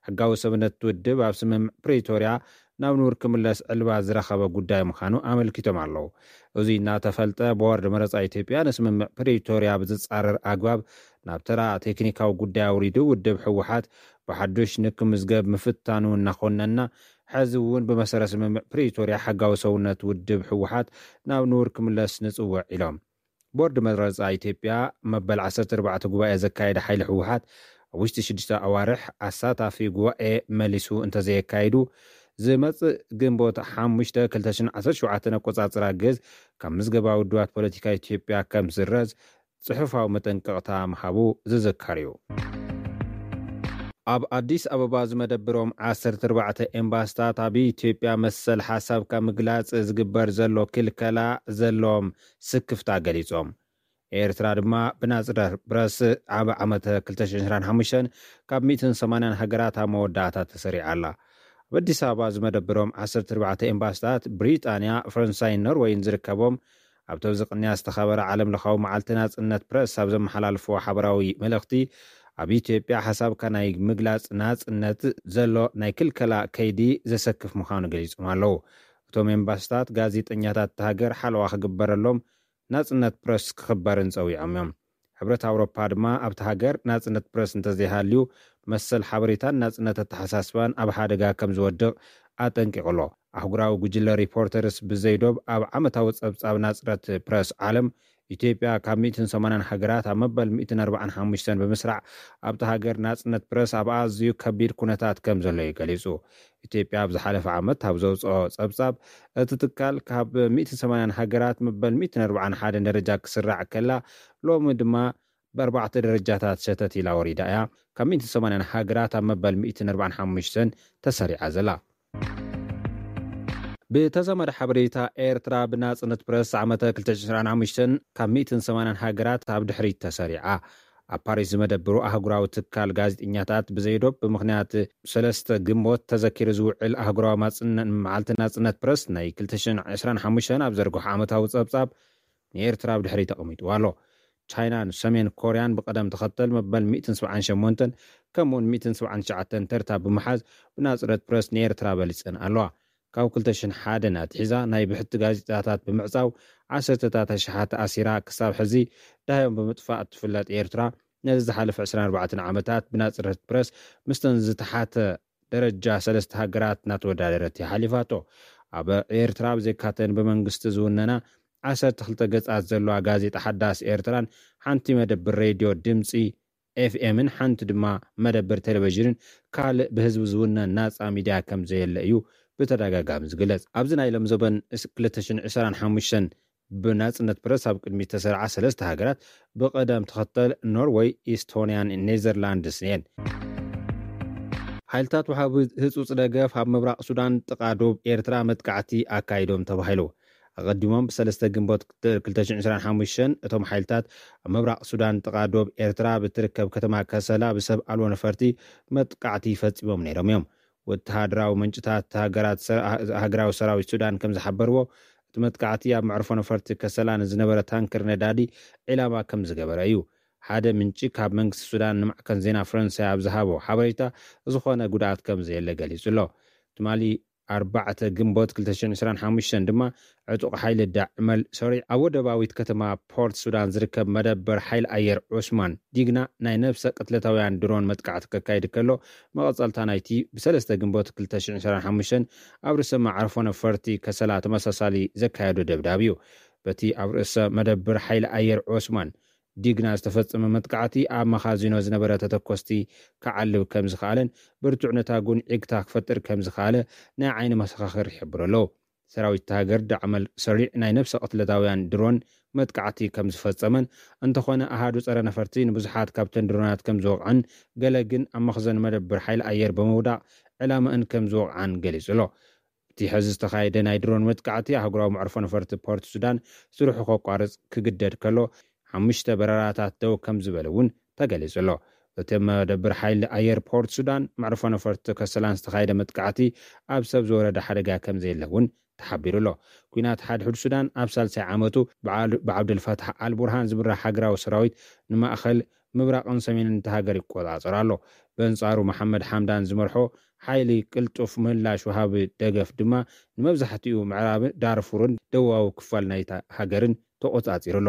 ሕጋዊ ሰብነት ውድብ ኣብ ስምምዕ ፕሪቶርያ ናብ ንቡር ክምለስ ዕልባት ዝረኸበ ጉዳይ ምዃኑ ኣመልኪቶም ኣለዉ። እዚ እናተፈልጠ፣ ቦርድ መረጻ ኢትዮጵያ ንስምምዕ ፕሪቶርያ ብዝጻረር ኣግባብ ናብ ተራ ቴክኒካዊ ጉዳይ ኣውሪዱ፣ ውድብ ህወሓት ብሓዱሽ ንክምዝገብ ምፍታኑ እናኾነና፣ ሕዚ እውን ብመሰረት ስምምዕ ፕሪቶርያ ሕጋዊ ሰውነት ውድብ ህወሓት ናብ ንቡር ክምለስ ንጽውዕ ኢሎም። ቦርድ መረጻ ኢትዮጵያ መበል ዓሰርተ ኣርባዕተ ጉባኤ ዘካየደ ሓይሊ ህወሓት ኣብ ውሽጢ ሽዱሽተ ኣዋርሕ ኣሳታፊ ጉባኤ መሊሱ እንተዘየካይዱ፣ ዝመጽእ ግንቦት ሓሙሽተ ክልተ ሽሕን ዓሰርተ ሸውዓተን ኣቆጻጽራ ግዝ ካብ ምዝገባ ውድባት ፖለቲካ ኢትዮጵያ ከም ዝስረዝ ጽሑፋዊ መጠንቀቕታ ምሃቡ ዝዝከር እዩ። ኣብ ኣዲስ ኣበባ ዝመደብሮም ዓሰርተ ኣርባዕተ ኤምባስታት ኣብ ኢትዮጵያ መሰል ሓሳብካ ምግላጽ ዝግበር ዘሎ ክልከላ ዘለዎም ስክፍታ ገሊጾም። ኤርትራ ድማ ብናጽነት ፕረስ ኣብ ዓመተ ክልተ ሽሕን ዕስራን ሓሙሽተን ካብ ሚእትን ሰማንያን ሃገራት ኣብ መወዳእታ ተሰሪዓ ኣላ። ኣብ ኣዲስ ኣበባ ዝመደብሮም ዓሰርተ ኣርባዕተ ኤምባስታት ብሪጣንያ፣ ፈረንሳይን ኖርወይን ዝርከቦም፣ ኣብቲ ኣብዚ ቅንያ ዝተኸበረ ዓለም ለኻዊ መዓልቲ ናጽነት ፕረስ ኣብ ዘመሓላልፍዎ ሓበራዊ መልእኽቲ፣ ኣብ ኢትዮጵያ ሓሳብካ ናይ ምግላጽ ናጽነት ዘሎ ናይ ክልከላ ከይዲ ዘሰክፍ ምዃኑ ገሊጾም ኣለዉ። እቶም ኤምባስታት ጋዜጠኛታት እታ ሃገር ሓለዋ ክግበረሎም፣ ናጽነት ፕረስ ክኽበርን ጸዊዖም እዮም። ሕብረት ኣውሮፓ ድማ ኣብቲ ሃገር ናጽነት ፕረስ እንተዘይሃልዩ፣ መሰል ሓበሬታን ናጽነት ኣተሓሳስባን ኣብ ሓደጋ ከም ዝወድቕ ኣጠንቂቑ ኣሎ። ኣህጉራዊ ጉጅለ ሪፖርተርስ ብዘይዶብ ኣብ ዓመታዊ ጸብጻብ ናጽነት ፕረስ ዓለም፣ ኢትዮጵያ ካብ ሚእትን ሰማንያን ሃገራት ኣብ መበል ሚእትን ኣርባዓን ሓሙሽተን ብምስራዕ፣ ኣብቲ ሃገር ናጽነት ፕረስ ኣብ ኣዝዩ ከቢድ ኩነታት ከም ዘሎ እዩ ገሊጹ። ኢትዮጵያ ኣብ ዝሓለፈ ዓመት ኣብ ዘውጽኦ ጸብጻብ፣ እቲ ትካል ካብ ሚእትን ሰማንያን ሃገራት መበል ሚእትን ኣርባዓን ሓደን ደረጃ ክስራዕ ከላ፣ ሎሚ ድማ ብኣርባዕተ ደረጃታት ሸተት ኢላ ወሪዳ እያ ካብ ሚእትን ሰማንያን ሃገራት ኣብ መበል ሚእትን ኣርባዓን ሓሙሽተን ተሰሪዓ ዘላ። ብተዛማዲ ሓበሬታ፣ ኤርትራ ብናጽነት ፕረስ ዓመተ ክልተ ሽሕን ዕስራን ሓሙሽተን ካብ ሚእትን ሰማንያን ሃገራት ኣብ ድሕሪት ተሰሪዓ። ኣብ ፓሪስ ዝመደብሩ ኣህጉራዊ ትካል ጋዜጠኛታት ብዘይዶብ፣ ብምኽንያት ሰለስተ ግንቦት ተዘኪሩ ዝውዕል ኣህጉራዊ ማጽነ-፣ መዓልቲ ናጽነት ፕረስ ናይ ክልተ ሽሕን ዕስራን ሓሙሽተን ኣብ ዘርግሖ ዓመታዊ ጸብጻብ፣ ንኤርትራ ኣብ ድሕሪት ኣቐሚጥዋ ኣሎ። ቻይናን ሰሜን ኮርያን ብቐደም ተኸተል መበል ሚእትን ሰብዓን ሸሞንተን ከምኡውን ሚእትን ሰብዓን ትሽዓተን ተርታ ብምሓዝ፣ ብናጽነት ፕረስ ንኤርትራ በሊጸን ኣለዋ። ካብ ክልተ ሽሕን ሓደን ኣትሒዛ ናይ ብሕቲ ጋዜጣታት ብምዕጻው ዓሰርተታት ኣሽሓት ኣሲራ፣ ክሳብ ሕዚ ደሃዮም ብምጥፋእ እትፍለጥ ኤርትራ፣ ነዚ ዝሓለፈ ዕስራን ኣርባዕተን ዓመታት ብናጽነት ፕረስ ምስተን ዝተሓተ ደረጃ ሰለስተ ሃገራት እናተወዳደረት እያ ሓሊፋቶ። ኣብ ኤርትራ ብዘይካተን ብመንግስቲ ዝውነና ዓሰርተ ክልተ ገጻት ዘለዋ ጋዜጣ ሓዳስ ኤርትራን ሓንቲ መደብር ሬድዮ ድምጺ ኤፍኤምን ሓንቲ ድማ መደብር ቴሌቪዥንን ካልእ ብህዝቢ ዝውነን ናጻ ሚድያ ከም ዘየለ እዩ ብተደጋጋሚ ዝግለጽ። ኣብዚ ናይ ሎም ዘበን እስ-፣ ክልተ ሽሕን ዕስራን ሓሙሽተን ብናጽነት ፕረስ ኣብ ቅድሚ ተሰርዓ ሰለስተ ሃገራት ብቐደም ተኸተል ኖርወይ፣ ኢስቶንያን ኔዘርላንድስን እየን። ሓይልታት ወሃቢ ህጹጽ ደገፍ ኣብ ምብራቕ ሱዳን ጥቓ ዶብ ኤርትራ መጥቃዕቲ ኣካይዶም ተባሂሉ። ኣቐዲሞም ብሰለስተ ግንቦት ክልተ ሽሕን ዕስራን ሓሙሽተን እቶም ሓይልታት ኣብ ምብራቕ ሱዳን ጥቓ ዶብ ኤርትራ ብትርከብ ከተማ ከሰላ ብሰብ ኣልቦ ነፈርቲ መጥቃዕቲ ፈጺሞም ነይሮም እዮም። ወተሃደራዊ ምንጭታት ሃገራት ሰ-፣ ሃገራዊ ሰራዊት ሱዳን ከም ዝሓበርዎ፣ እቲ መጥቃዕቲ ኣብ መዕርፎ ነፈርቲ ከሰላ ንዝነበረ ታንከር ነዳዲ ዒላማ ከም ዝገበረ እዩ ሓደ ምንጪ ካብ መንግስቲ ሱዳን ንማዕከን ዜና ፈረንሳይ ኣብ ዝሃቦ ሓበሬታ ዝኾነ ጉድኣት ከም ዘየለ ገሊጹ ኣሎ። ትማሊ ኣርባዕተ ግንቦት ክልተ ሽሕን ዕስራን ሓሙሽተን ድማ ዕጡቕ ሓይሊ ዳዕመል ሰሪዕ ኣብ ወደባዊት ከተማ ፖርት ሱዳን ዝርከብ መደበር ሓይሊ ኣየር ዑስማን ዲግና ናይ ነብሰ ቅትለታውያን ድሮን መጥቃዕቲ ከካይድ ከሎ፣ መቐጸልታ ናይቲ ብሰለስተ ግንቦት ክልተ ሽሕን ዕስራን ሓሙሽተን ኣብ ርእሰ መዓርፎ ነፈርቲ ከሰላ ተመሳሳሊ ዘካየዶ ደብዳብ እዩ። በቲ ኣብ ርእሰ መደብር ሓይሊ ኣየር ዑስማን ዲግና ዝተፈጸመ መጥቃዕቲ ኣብ መኻዚኖ ዝነበረ ተተኮስቲ ክዓልብ ከም ዝኸኣለን ብርቱዕ ነታጉን ዒግታ ክፈጥር ከም ዝኸኣለ ናይ ዓይኒ መሰኻኽር ይሕብሩ ኣለዉ። ሰራዊት እታ ሃገር ዳዕመል ሰሪዕ ናይ ነብሰ ቅትለታውያን ድሮን መጥቃዕቲ ከም ዝፈጸመን፣ እንተኾነ ኣሃዱ ጸረ ነፈርቲ ንብዙሓት ካብተን ድሮናት ከም ዝወቕዐን፣ ገለ ግን ኣብ መኽዘን መደብር ሓይሊ ኣየር ብምውዳቕ ዕላማእን ከም ዝወቕዓን ገሊጹ ኣሎ። እቲ ሕዚ ዝተኻየደ ናይ ድሮን መጥቃዕቲ ኣህጉራዊ መዕርፎ ነፈርቲ ፖርት ሱዳን ስርሑ ከቋርጽ ክግደድ ከሎ፣ ሓሙሽተ በረራታት ደው ከም ዝበለ እውን ተገሊጹ ኣሎ። እቲ መደብር ሓይሊ ኣየር ፖርት ሱዳን መዕርፎ ነፈርቲ ከሰላን ዝተኻየደ መጥቃዕቲ ኣብ ሰብ ዝወረደ ሓደጋ ከም ዘየለ እውን ተሓቢሩ ኣሎ። ኲናት ሓድሕድ ሱዳን ኣብ ሳልሳይ ዓመቱ ብዓል-፣ ብዓብደልፋታሕ ኣልቡርሃን ዝምራሕ ሃገራዊ ሰራዊት ንማእኸል ምብራቕን ሰሜንን እታ ሃገር ይቆጻጸር ኣሎ። በንጻሩ መሓመድ ሓምዳን ዝመርሖ ሓይሊ ቅልጡፍ ምላሽ ወሃቢ ደገፍ ድማ ንመብዛሕትኡ ምዕራብ ዳርፉርን ደቡባዊ ክፋል ናይታ ሃገርን ተቆጻጺሩ ኣሎ።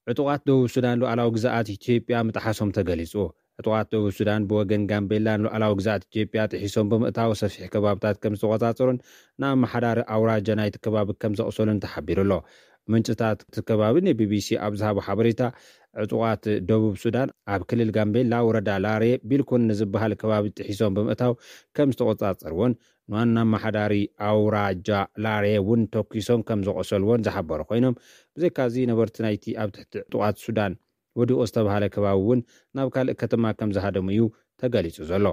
ዕጡቓት ደቡብ ሱዳን ሉዓላዊ ግዝኣት ኢትዮጵያ ምጥሓሶም ተገሊጹ። ዕጡቓት ደቡብ ሱዳን ብወገን ጋምቤላ ንሉዓላዊ ግዝኣት ኢትዮጵያ ጥሒሶም ብምእታው ሰፊሕ ከባብታት ከም ዝተቆጻጸሩን ንኣመሓዳሪ ኣውራጃ ናይቲ ከባቢ ከም ዘቕሰሉን ተሓቢሩ ኣሎ። ምንጭታት እቲ ከባቢ ንቢቢሲ ኣብ ዝሃቦ ሓበሬታ፣ ዕጡቓት ደቡብ ሱዳን ኣብ ክልል ጋምቤላ ወረዳ ላሬ ቢልኩን ንዝበሃል ከባቢ ጥሒሶም ብምእታው ከም ዝተቆጻጸርዎን ንዋና ኣመሓዳሪ ኣውራጃ ላሬ እውን ተኲሶም ከም ዘቆሰልዎን ዝሓበሩ ኮይኖም፣ ብዘይካዚ ነበርቲ ናይቲ ኣብ ትሕቲ ዕጡቓት ሱዳን ወዲቑ ዝተባሃለ ከባቢ እውን ናብ ካልእ ከተማ ከም ዝሃደሙ እዩ ተገሊጹ ዘሎ።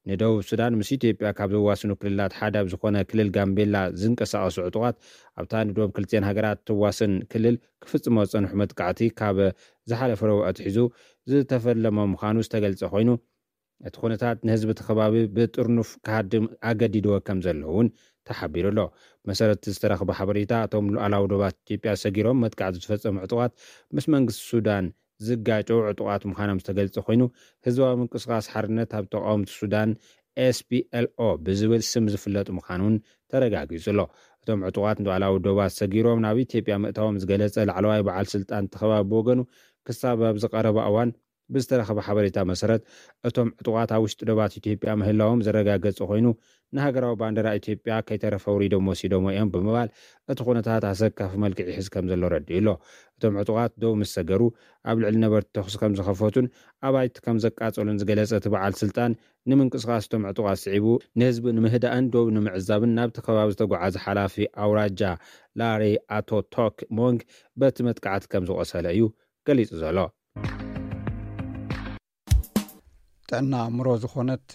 ንደቡብ ሱዳን ምስ ኢትዮጵያ ካብ ዘዋስኑ ክልላት ሓደ ኣብ ዝኾነ ክልል ጋምቤላ ዝንቀሳቐሱ ዕጡቓት፣ ኣብታ ንደቡብ ክልቲአን ሃገራት ትዋሰን ክልል ክፍጽሞ ዝጸንሑ መጥቃዕቲ ካብ ዝሓለፈ ረቡዕ ኣትሒዙ ዝተፈለመ ምዃኑ ዝተገልጸ ኮይኑ፣ እቲ ኩነታት ንህዝቢ እቲ ከባቢ ብጥርኑፍ ክሃድም ኣገዲድዎ ከም ዘሎ እውን ተሓቢሩ ኣሎ። መሰረት ዝተረኽበ ሓበሬታ፣ እቶም ሉዓላዊ ዶባት ኢትዮጵያ ሰጊሮም መጥቃዕቲ ዝፈጸሙ ዕጡቓት ምስ መንግስቲ ሱዳን ዝጋጨው ዕጡቓት ምዃኖም ዝተገልጸ ኮይኑ፣ ህዝባዊ ምንቅስቓስ ሓርነት ኣብ ተቃወምቲ ሱዳን፣ ኤስፒኤልኦ፣ ብዝብል ስም ዝፍለጥ ምዃኑ እውን ተረጋጊጹ ኣሎ። እቶም ዕጡቓት ንሉዓላዊ ዶባት ሰጊሮም ናብ ኢትዮጵያ ምእታዎም ዝገለጸ ላዕለዋይ በዓል ስልጣን እቲ ከባቢ ብወገኑ፣ ክሳብ ኣብዚ ቀረባ እዋን ብዝተረኸበ ሓበሬታ መሰረት፣ እቶም ዕጡቓት ኣብ ውሽጢ ዶባት ኢትዮጵያ ምህላዎም ዘረጋገጸ ኮይኑ፣ ንሃገራዊ ባንዴራ ኢትዮጵያ ከይተረፈ ኣውሪዶም ወሲዶሞ እዮም ብምባል፣ እቲ ኩነታት ኣሰካፊ መልክዕ ይሕዝ ከም ዘሎ ረዲኡ ኣሎ። እቶም ዕጡቓት ደው ምስ ሰገሩ፣ ኣብ ልዕሊ ነበርቲ ተኹሲ ከም ዝኸፈቱን ኣባይቲ ከም ዘቃጸሉን ዝገለጸ እቲ በዓል ስልጣን፣ ንምንቅስቓስ እቶም ዕጡቓት ስዒቡ፣ ንህዝቢ ንምህዳእን ደው ንምዕዛብን ናብቲ ከባቢ ዝተጓዓዘ ሓላፊ ኣውራጃ ላሬ ኣቶ ቶክ ሞንግ በቲ መጥቃዕቲ ከም ዝቖሰለ እዩ ገሊጹ ዘሎ። ጥዕና ኣእምሮ ዝኾነት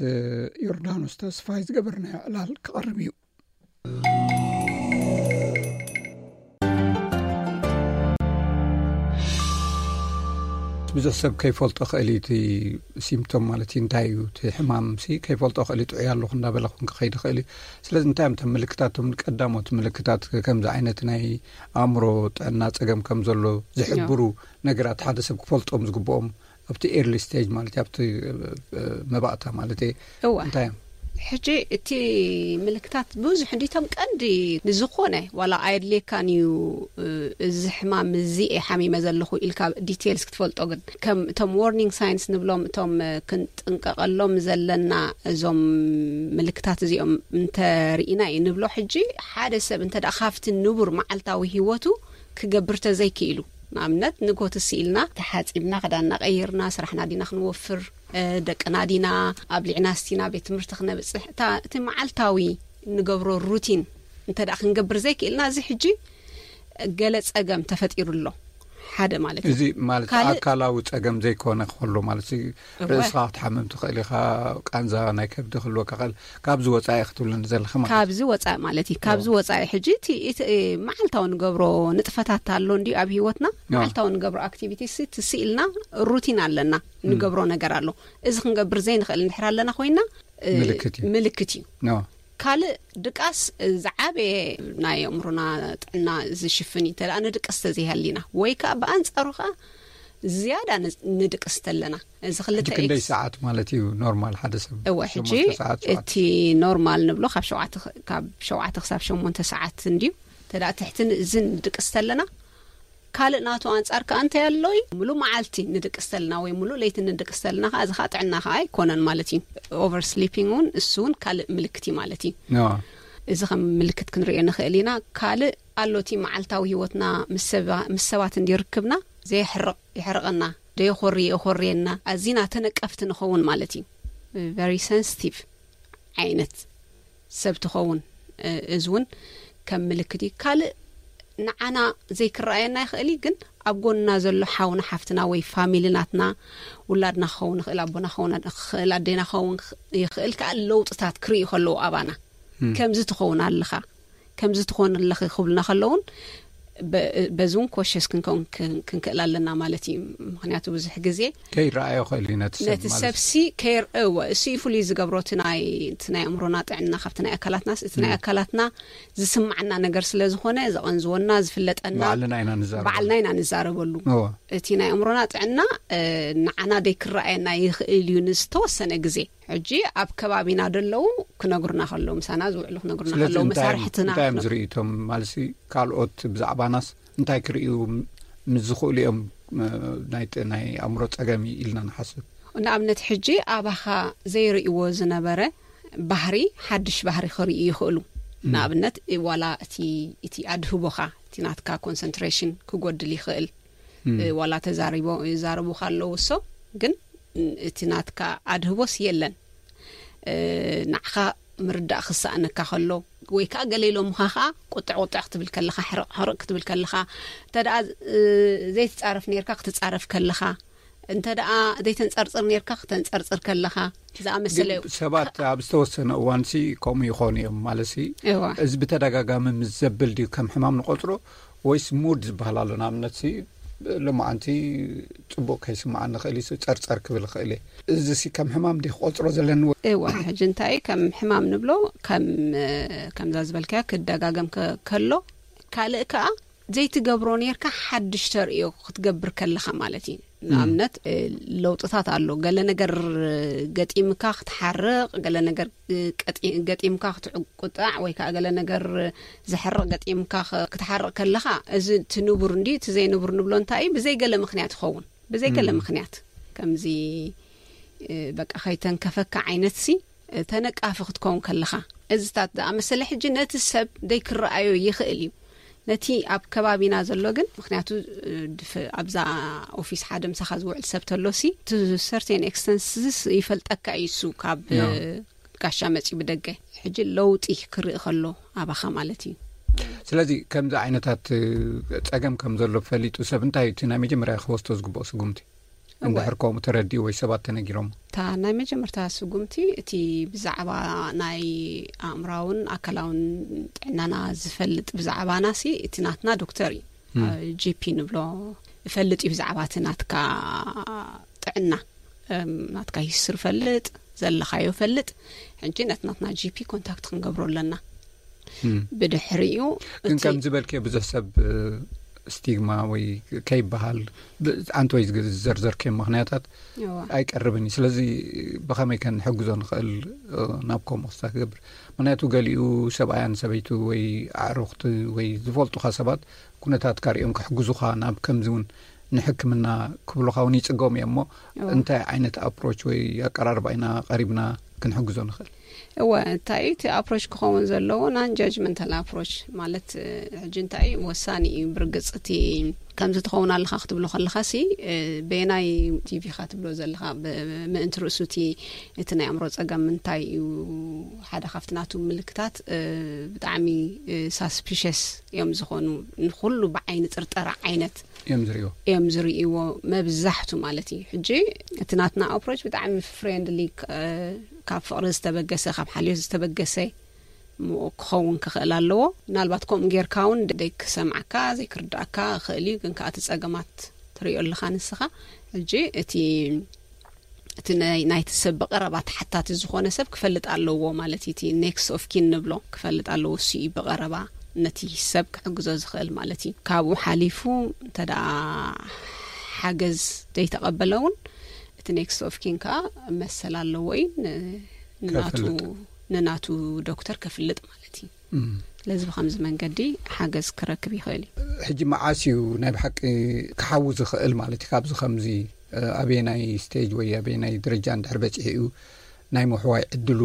ዮርዳኖስ ተስፋይ ዝገበርናዮ ዕላል ክቐርብ እዩ። ብዙሕ ሰብ ከይፈልጦ ክእል እዩ እቲ ሲምፕቶም ማለት እዩ፣ እንታይ እዩ እቲ ሕማም ሲ ከይፈልጦ ክእል እዩ፣ ጥዑይ ኣለኹ እንዳበለ እውን ክኸይድ ይኽእል እዩ። ስለዚ እንታይ እዮም እቶም ምልክታት፣ እቶም ቀዳሞት ምልክታት ከምዚ ዓይነት ናይ ኣእምሮ ጥዕና ጸገም ከም ዘሎ ዝሕብሩ ነገራት ሓደ ሰብ ክፈልጦም ዝግብኦም ኣብቲ ኤርሊ ስቴጅ ማለት እዩ፣ ኣብቲ መባእታ ማለት እዩ፣ እዋ እንታይ እዮም? ሕጂ እቲ ምልክታት ብዙሕ እንዲቶም ቀንዲ ንዝኾነ ዋላ ኣየድልየካን እዩ። እዚ ሕማም እዚ እየ ሓሚመ ዘለኹ ኢልካ ዲቴልስ ክትፈልጦ፣ ግን ከም እቶም ዋርኒንግ ሳይንስ ንብሎም፣ እቶም ክንጥንቀቐሎም ዘለና እዞም ምልክታት እዚኦም እንተርኢና እዩ ንብሎ። ሕጂ ሓደ ሰብ እንተ ደኣ ካብቲ ንቡር መዓልታዊ ህይወቱ ክገብር ተዘይክኢሉ፣ ንኣብነት ንጎት ስኢልና ተሓጺብና ክዳንና ቀይርና ስራሕና ዲና ክንወፍር፣ ደቅና ዲና ኣብሊዕና ስቲና ቤት ትምህርቲ ክነብፅሕ፣ እቲ መዓልታዊ ንገብሮ ሩቲን እንተ ደኣ ክንገብር ዘይክእልና፣ እዚ ሕጂ ገለ ጸገም ተፈጢሩ ኣሎ። ሓደ ማለት እዩ። እዚ ማለት ካልእ ኣካላዊ ጸገም ዘይኮነ ክህሉ ማለት እዩ። እወ። ርእስኻ ክትሓምም ትኽእል ኢኻ፣ ቃንዛ ናይ ከብዲ ክህልወካ ክእል፣ ካብዚ ወጻኢ ክትብልኒ ዘለኻ ማለት እዩ። ካብዚ ወጻኢ ማለት እዩ። ካብዚ እወ። ወጻኢ ሕጂ እቲ፣ እቲ መዓልታዊ ንገብሮ ንጥፈታት ኣሎ እንዲ ኣብ ህይወትና፣ እወ። መዓልታዊ ንገብሮ ኣክቲቪቲስ ትስኢልና ሩቲን ኣለና፣ ንገብሮ ነገር ኣሎ። እዚ ክንገብር ዘይንኽእል እንድሕር ኣለና ኮይና፣ እ፣ ምልክት እዩ። ምልክት እዩ። እወ። ካልእ ድቃስ ዝዓበየ ናይ ኣእምሮና ጥዕና ዝሽፍን እዩ። እንተ ደኣ ንድቅስ ተዘይሃሊና፣ ወይ ከኣ ብኣንጻሩ ከኣ ዝያዳ ን-፣ ንድቅስ ተለና። እዚ ክልተ ሕጂ ክንደይ ኤክስ- ሰዓት ማለት እዩ ኖርማል ሓደ ሰብ? እወ፣ ሕጂ ሸሞንተ ሰዓት፣ ሸውዓተ። እቲ ኖርማል ንብሎ ካብ ሸውዓተ ክ-፣ ካብ ሸውዓተ ክሳብ ሸሞንተ ሰዓት እንድዩ። እንተ ደኣ ትሕቲ ን-፣ እዚ ንድቅስ ተለና፣ ካልእ ናቱ ኣንጻር ከኣ እንታይ ኣሎ እዩ? ሙሉእ መዓልቲ ንድቅስ ተልና ወይ ሙሉእ ለይቲ ንድቅስ ተልና ከኣ፣ እዚ ከኣ ጥዕና ከኣ ኣይኮነን ማለት እዩ። ኦቨር ስሊፒንግ እውን፣ እሱ እውን ካልእ ምልክት እዩ ማለት እዩ። እወ። እዚ ከም ምልክት ክንሪኦ ንኽእል ኢና። ካልእ ኣሎ፣ እቲ መዓልታዊ ህይወትና ምስ ሰባ-፣ ምስ ሰባት እንዲ ርክብና ዘየሕርቕ፣ የሕርቐና፣ ዶ የኾሪ-፣ የኾርየና፣ ኣዚና ተነቀፍቲ ንኸውን ማለት እዩ። ቨሪ ሰንሲቲቭ ዓይነት ሰብ ትኸውን። እ፣ እዚ እውን ከም ምልክት እዩ። ካልእ ንዓና ዘይክረኣየና ይኽእል እዩ፣ ግን ኣብ ጎንና ዘሎ ሓውና፣ ሓፍትና ወይ ፋሚሊ ናትና፣ ውላድና ክኸውን ይኽእል፣ ኣቦና ክኸውን ይኽእል፣ ኣዴና ክኸውን ይኽእል፣ ከዓ ለውጥታት ክርእዩ ከለዉ ኣባና፣ ም። ከምዚ ትኸውን ኣለኻ፣ ከምዚ ትኾን ኣለኺ ክብሉና ከለውን፣ በ-፣ በዚ እውን ኮሸስ ክንከውን ክን-፣ ክንክእል ኣለና ማለት እዩ። ምኽንያቱ ብዙሕ ግዜ ከይረኣዮ ክእል እዩ ነቲ ሰብ ነቲ ማለት ሰብ እዩ። ሲ ከይር-፣ እወ፣ እሱ እዩ ፍሉይ ዝገብሮ እቲ ናይ፣ እቲ ናይ ኣእምሮና ጥዕና ካብቲ ናይ ኣካላትናስ፣ እቲ ናይ ም። ኣካላትና ዝስማዓና ነገር ስለ ዝኾነ፣ ዘቐንዝወና፣ ዝፍለጠና፣ ባዕልና ኢና ንዛረበሉ። ባዕልና ኢና ንዛረበሉ። እወ። እቲ ናይ ኣእምሮና ጥዕና፣ እ፣ ንዓና ደይክረኣየና ይኽእል እዩ ንዝተወሰነ ግዜ። ሕጂ ኣብ ከባቢና ደለዉ ክነግሩና ከለዉ፣ ምሳና ዝውዕሉ ክነግሩና ስለዚ ከለዉ፣ እንታይ እዮም፣ መሳርሕትና እንታይ እዮም ክነ- ዝርእዩ እቶም ማለትሲ ካልኦት ብዛዕባናስ እንታይ ክርእዩ ም-፣ ምስ ዝኽእሉ እዮም፣ እ፣ ናይ ጥ-፣ ናይ ኣእምሮ ጸገም እዩ ኢልና ንሓስብ? ንኣብነት ሕጂ ኣባኻ ዘይርእይዎ ዝነበረ ባህሪ፣ ሓድሽ ባህሪ ክርእዩ ይኽእሉ። ም። ንኣብነት ዋላ እቲ፣ እቲ ኣድህቦኻ፣ እቲ ናትካ ኮንሰንትሬሽን ክጎድል ይኽእል። ም። እ፣ ዋላ ተዛሪቦ-፣ ይዛረቡኻ ኣለዉ እሶ፣ ግን እቲ ናትካ ኣድህቦስ የለን። እ፣ ንዓኻ ምርዳእ ክሰኣነካ ከሎ፣ ወይ ከኣ ገለ ኢሎምኻ ከኣ ቁጥዕ ቁጥዕ ክትብል ከለኻ፣ ሕርቕ ሕርቕ ክትብል ከለኻ፣ እንተ ደኣ፣ እ፣ ዘይትጻረፍ ኔርካ ክትጻረፍ ከለኻ፣ እንተ ደኣ ዘይተንጸርጽር ኔርካ ክተንጸርጽር ከለኻ፣ ዝኣመሰለ ግን ሰባት ኣብ ዝተወሰነ እዋንሲ ከምኡ ይኾኑ እዮም። ማለትሲ፣ እዋ። እዚ ብተደጋጋሚ ምስ ዘብል ድዩ ከም ሕማም ንቆጽሮ፣ ወይስ ሙድ ዝበሃል ኣሎ? ንኣብነትሲ፣ ሎማዓንቲ ጽቡቕ ከይስምዓኒ ይኽእል እዩ፣ ጸርጸር ክብል ይኽእል እየ። እዚሲ ከም ሕማም ድዩ ክቆጽሮ ዘለኒ? እዋ፣ ሕጂ እንታይ ከም ሕማም ንብሎ? ከም፣ ከምዛ ዝበልካዮ ክደጋገም ከ-፣ ከሎ፣ ካልእ ከኣ ዘይትገብሮ ኔርካ ሓድሽ ተርእዮ ክትገብር ከለኻ ማለት እዩ። ም። ንኣብነት፣ እ፣ ለውጥታት ኣሎ። ገለ ነገር ገጢምካ ክትሓርቕ፣ ገለ ነገር፣ እ፣ ቀጢ-፣ ገጢምካ ክትቁጣዕ፣ ወይ ከኣ ገለ ነገር ዘሕርቕ ገጢምካ ኸ-፣ ክትሓርቕ ከለኻ፣ እዚ እቲ ንቡር እንድዩ፣ እቲ ዘይንቡር ንብሎ እንታይ እዩ? ብዘይ ገለ ምኽንያት ይኸውን። ብዘይ ገለ ም። ምኽንያት ከምዚ፣ እ፣ በቃ ከይተንከፈካ ዓይነትሲ፣ እ፣ ተነቃፊ ክትከውን ከለኻ፣ እዚታት ዝኣመሰለ ሕጂ ነቲ ሰብ ደይክረኣዮ ይኽእል እዩ። ነቲ ኣብ ከባቢና ዘሎ ግን፣ ምኽንያቱ፣ እ፣ ድፍ-፣ ኣብዛ ኦፊስ ሓደ ምሳኻ ዝውዕል ሰብ ተሎሲ፣ to certain extent ይፈልጠካ እዩ እሱ ካብ፣ ያ። እ፣ ጋሻ መጺኡ ብደገ። ሕጂ ለውጢ ክርኢ ከሎ ኣባኻ ማለት እዩ። ስለዚ ከምዚ ዓይነታት፣ እ፣ ጸገም ከም ዘሎ ፈሊጡ ሰብ እንታይ እዩ እቲ ናይ መጀመርያ ክወስዶ ዝግብኦ ስጉምቲ? እወ። እንድሕር ከምኡ ተረዲኡ ወይ ሰባት ተነጊሮም? እታ ናይ መጀመርታ ስጉምቲ እቲ ብዛዕባ ናይ ኣእምራውን ኣካላውን ጥዕናና ዝፈልጥ ብዛዕባናሲ እቲ ናትና ዶክተር እዩ። ም። እ፣ ጂ ፒ ንብሎ ይፈልጥ እዩ ብዛዕባ እቲ ናትካ ጥዕና። እም፣ ናትካ ሂስትሪ ፈልጥ፣ ዘለኻዮ ፈልጥ። ሕጂ ነቲ ናትና ጂ ፒ ኮንታክት ክንገብሮ ኣለና። ም። ብድሕሪኡ ግን እቲ ከም ዝበልክዮ ብዙሕ ሰብ፣ እ፣ ስቲግማ ወይ ከይበሃል፣ ብ-፣ ኣንተ ወይ ዝግ-፣ ዝዘርዘርክዮም ምኽንያታት እዋ። ኣይቀርብን እዩ። ስለዚ ብኸመይ ከ ንሕግዞ ንኽእል፣ እ፣ ናብ ከምኡ ክስታ ክገብር? ምኽንያቱ ገሊኡ ሰብኣያን ሰበይቱ ወይ ኣዕሩኽቲ ወይ ዝፈልጡኻ ሰባት ኩነታትካ ሪኦም ክሕግዙኻ ናብ ከምዚ እውን ንሕክምና ክብሉኻ እውን ይጽገሙ እዮም እሞ፣ እዋ። እንታይ ዓይነት ኣፕሮች ወይ ኣቀራርባ ኢና ቀሪብና ክንሕግዞ ንኽእል? እወ፣ እንታይ እቲ ኣፕሮች ክኸውን ዘለዎ? ናን ጃጅመንታል ኣፕሮች ማለት፣ እ፣ ሕጂ እንታይ እዩ ወሳኒ እዩ? ብርግጽ እቲ ከምዚ ትኸውን ኣለኻ ክትብሎ ከለኻ ሲ፣ እ፣ በየናይ ቲቪ ኢኻ ትብሎ ዘለኻ? ብ-፣ ምእንቲ ርእሱ እቲ፣ እቲ ናይ ኣእምሮ ጸገም እንታይ እዩ? ሓደ ካብቲ ናቱ ምልክታት፣ እ፣ ብጣዕሚ፣ እ፣ ሳስፒሸስ እዮም ዝኾኑ። ንኹሉ ብዓይኒ ጥርጠራ ዓይነት እዮም ዝርእይዎ። እዮም ዝርእይዎ መብዛሕቱ ማለት እዩ። ሕጂ እቲ ናትና ኣፕሮች ብጣዕሚ ፍሬንድሊ፣ እ፣ ካብ ፍቕሪ ዝተበገሰ፣ ካብ ሓልዮት ዝተበገሰ ም-፣ ክኸውን ክኽእል ኣለዎ። ምናልባት ከምኡ ጌርካ እውን ደይ ክሰምዓካ፣ ዘይክርድኣካ ይኽእል እዩ፣ ግን ከኣ እቲ ጸገማት ትርእዮ ኣለኻ ንስኻ። ሕጂ እቲ፣ እቲ ናይ፣ ናይቲ ሰብ ብቐረባ ተሓታቲ ዝኾነ ሰብ ክፈልጥ ኣለዎ ማለት እዩ። እቲ ኔክስት ኦፍ ኪን ንብሎ ክፈልጥ ኣለዎ። እሱ እዩ ብቐረባ ነቲ ሰብ ክሕግዞ ዝኽእል ማለት እዩ። ካብኡ ሓሊፉ እንተ ደኣ ሓገዝ ዘይተቐበለ እውን እቲ ኔክስት ኦፍ ኪን ከኣ መሰል ኣለዎ እዩ ን-፣ ንናቱ፣ ከፍልጥ። ንናቱ ዶክተር ከፍልጥ ማለት እዩ። እም። ስለዚ ብኸምዚ መንገዲ ሓገዝ ክረክብ ይኽእል እዩ። ሕጂ መዓስ እዩ ናይ ብሓቂ ክሓዊ ዝኽእል ማለት እዩ? ካብዚ ከምዚ፣ እ፣ ኣበየናይ ስቴጅ ወይ ኣበየናይ ደረጃ እንድሕር በጺሑ እዩ ናይ ምሕዋይ ዕድሉ፣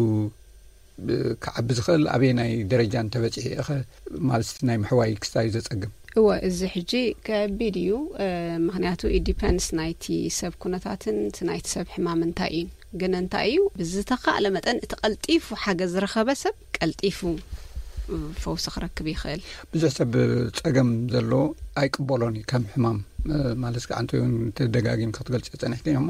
እ፣ ክዓቢ ዝኽእል? ኣበየናይ ደረጃ እንተበጺሑ እኸ ማለት ናይ ምሕዋይ ክስታይ ዘጸግም? እወ፣ እዚ ሕጂ ከቢድ እዩ። እ፣ ምኽንያቱ ኢት ዲፐንድስ ናይቲ ሰብ ኩነታትን እቲ ናይቲ ሰብ ሕማም እንታይ እዩ። ግን እንታይ እዩ፣ ብዝተኻእለ መጠን እቲ ቀልጢፉ ሓገዝ ዝረኸበ ሰብ ቀልጢፉ፣ እ፣ ፈውሲ ክረክብ ይኽእል። ብዙሕ ሰብ ጸገም ዘሎ ኣይቅበሎን እዩ ከም ሕማም፣ እ፣ ማለት ከኣ ኣንተ እውን ተደጋጊምካ ክትገልጽ ጸኒሕኪ እሞ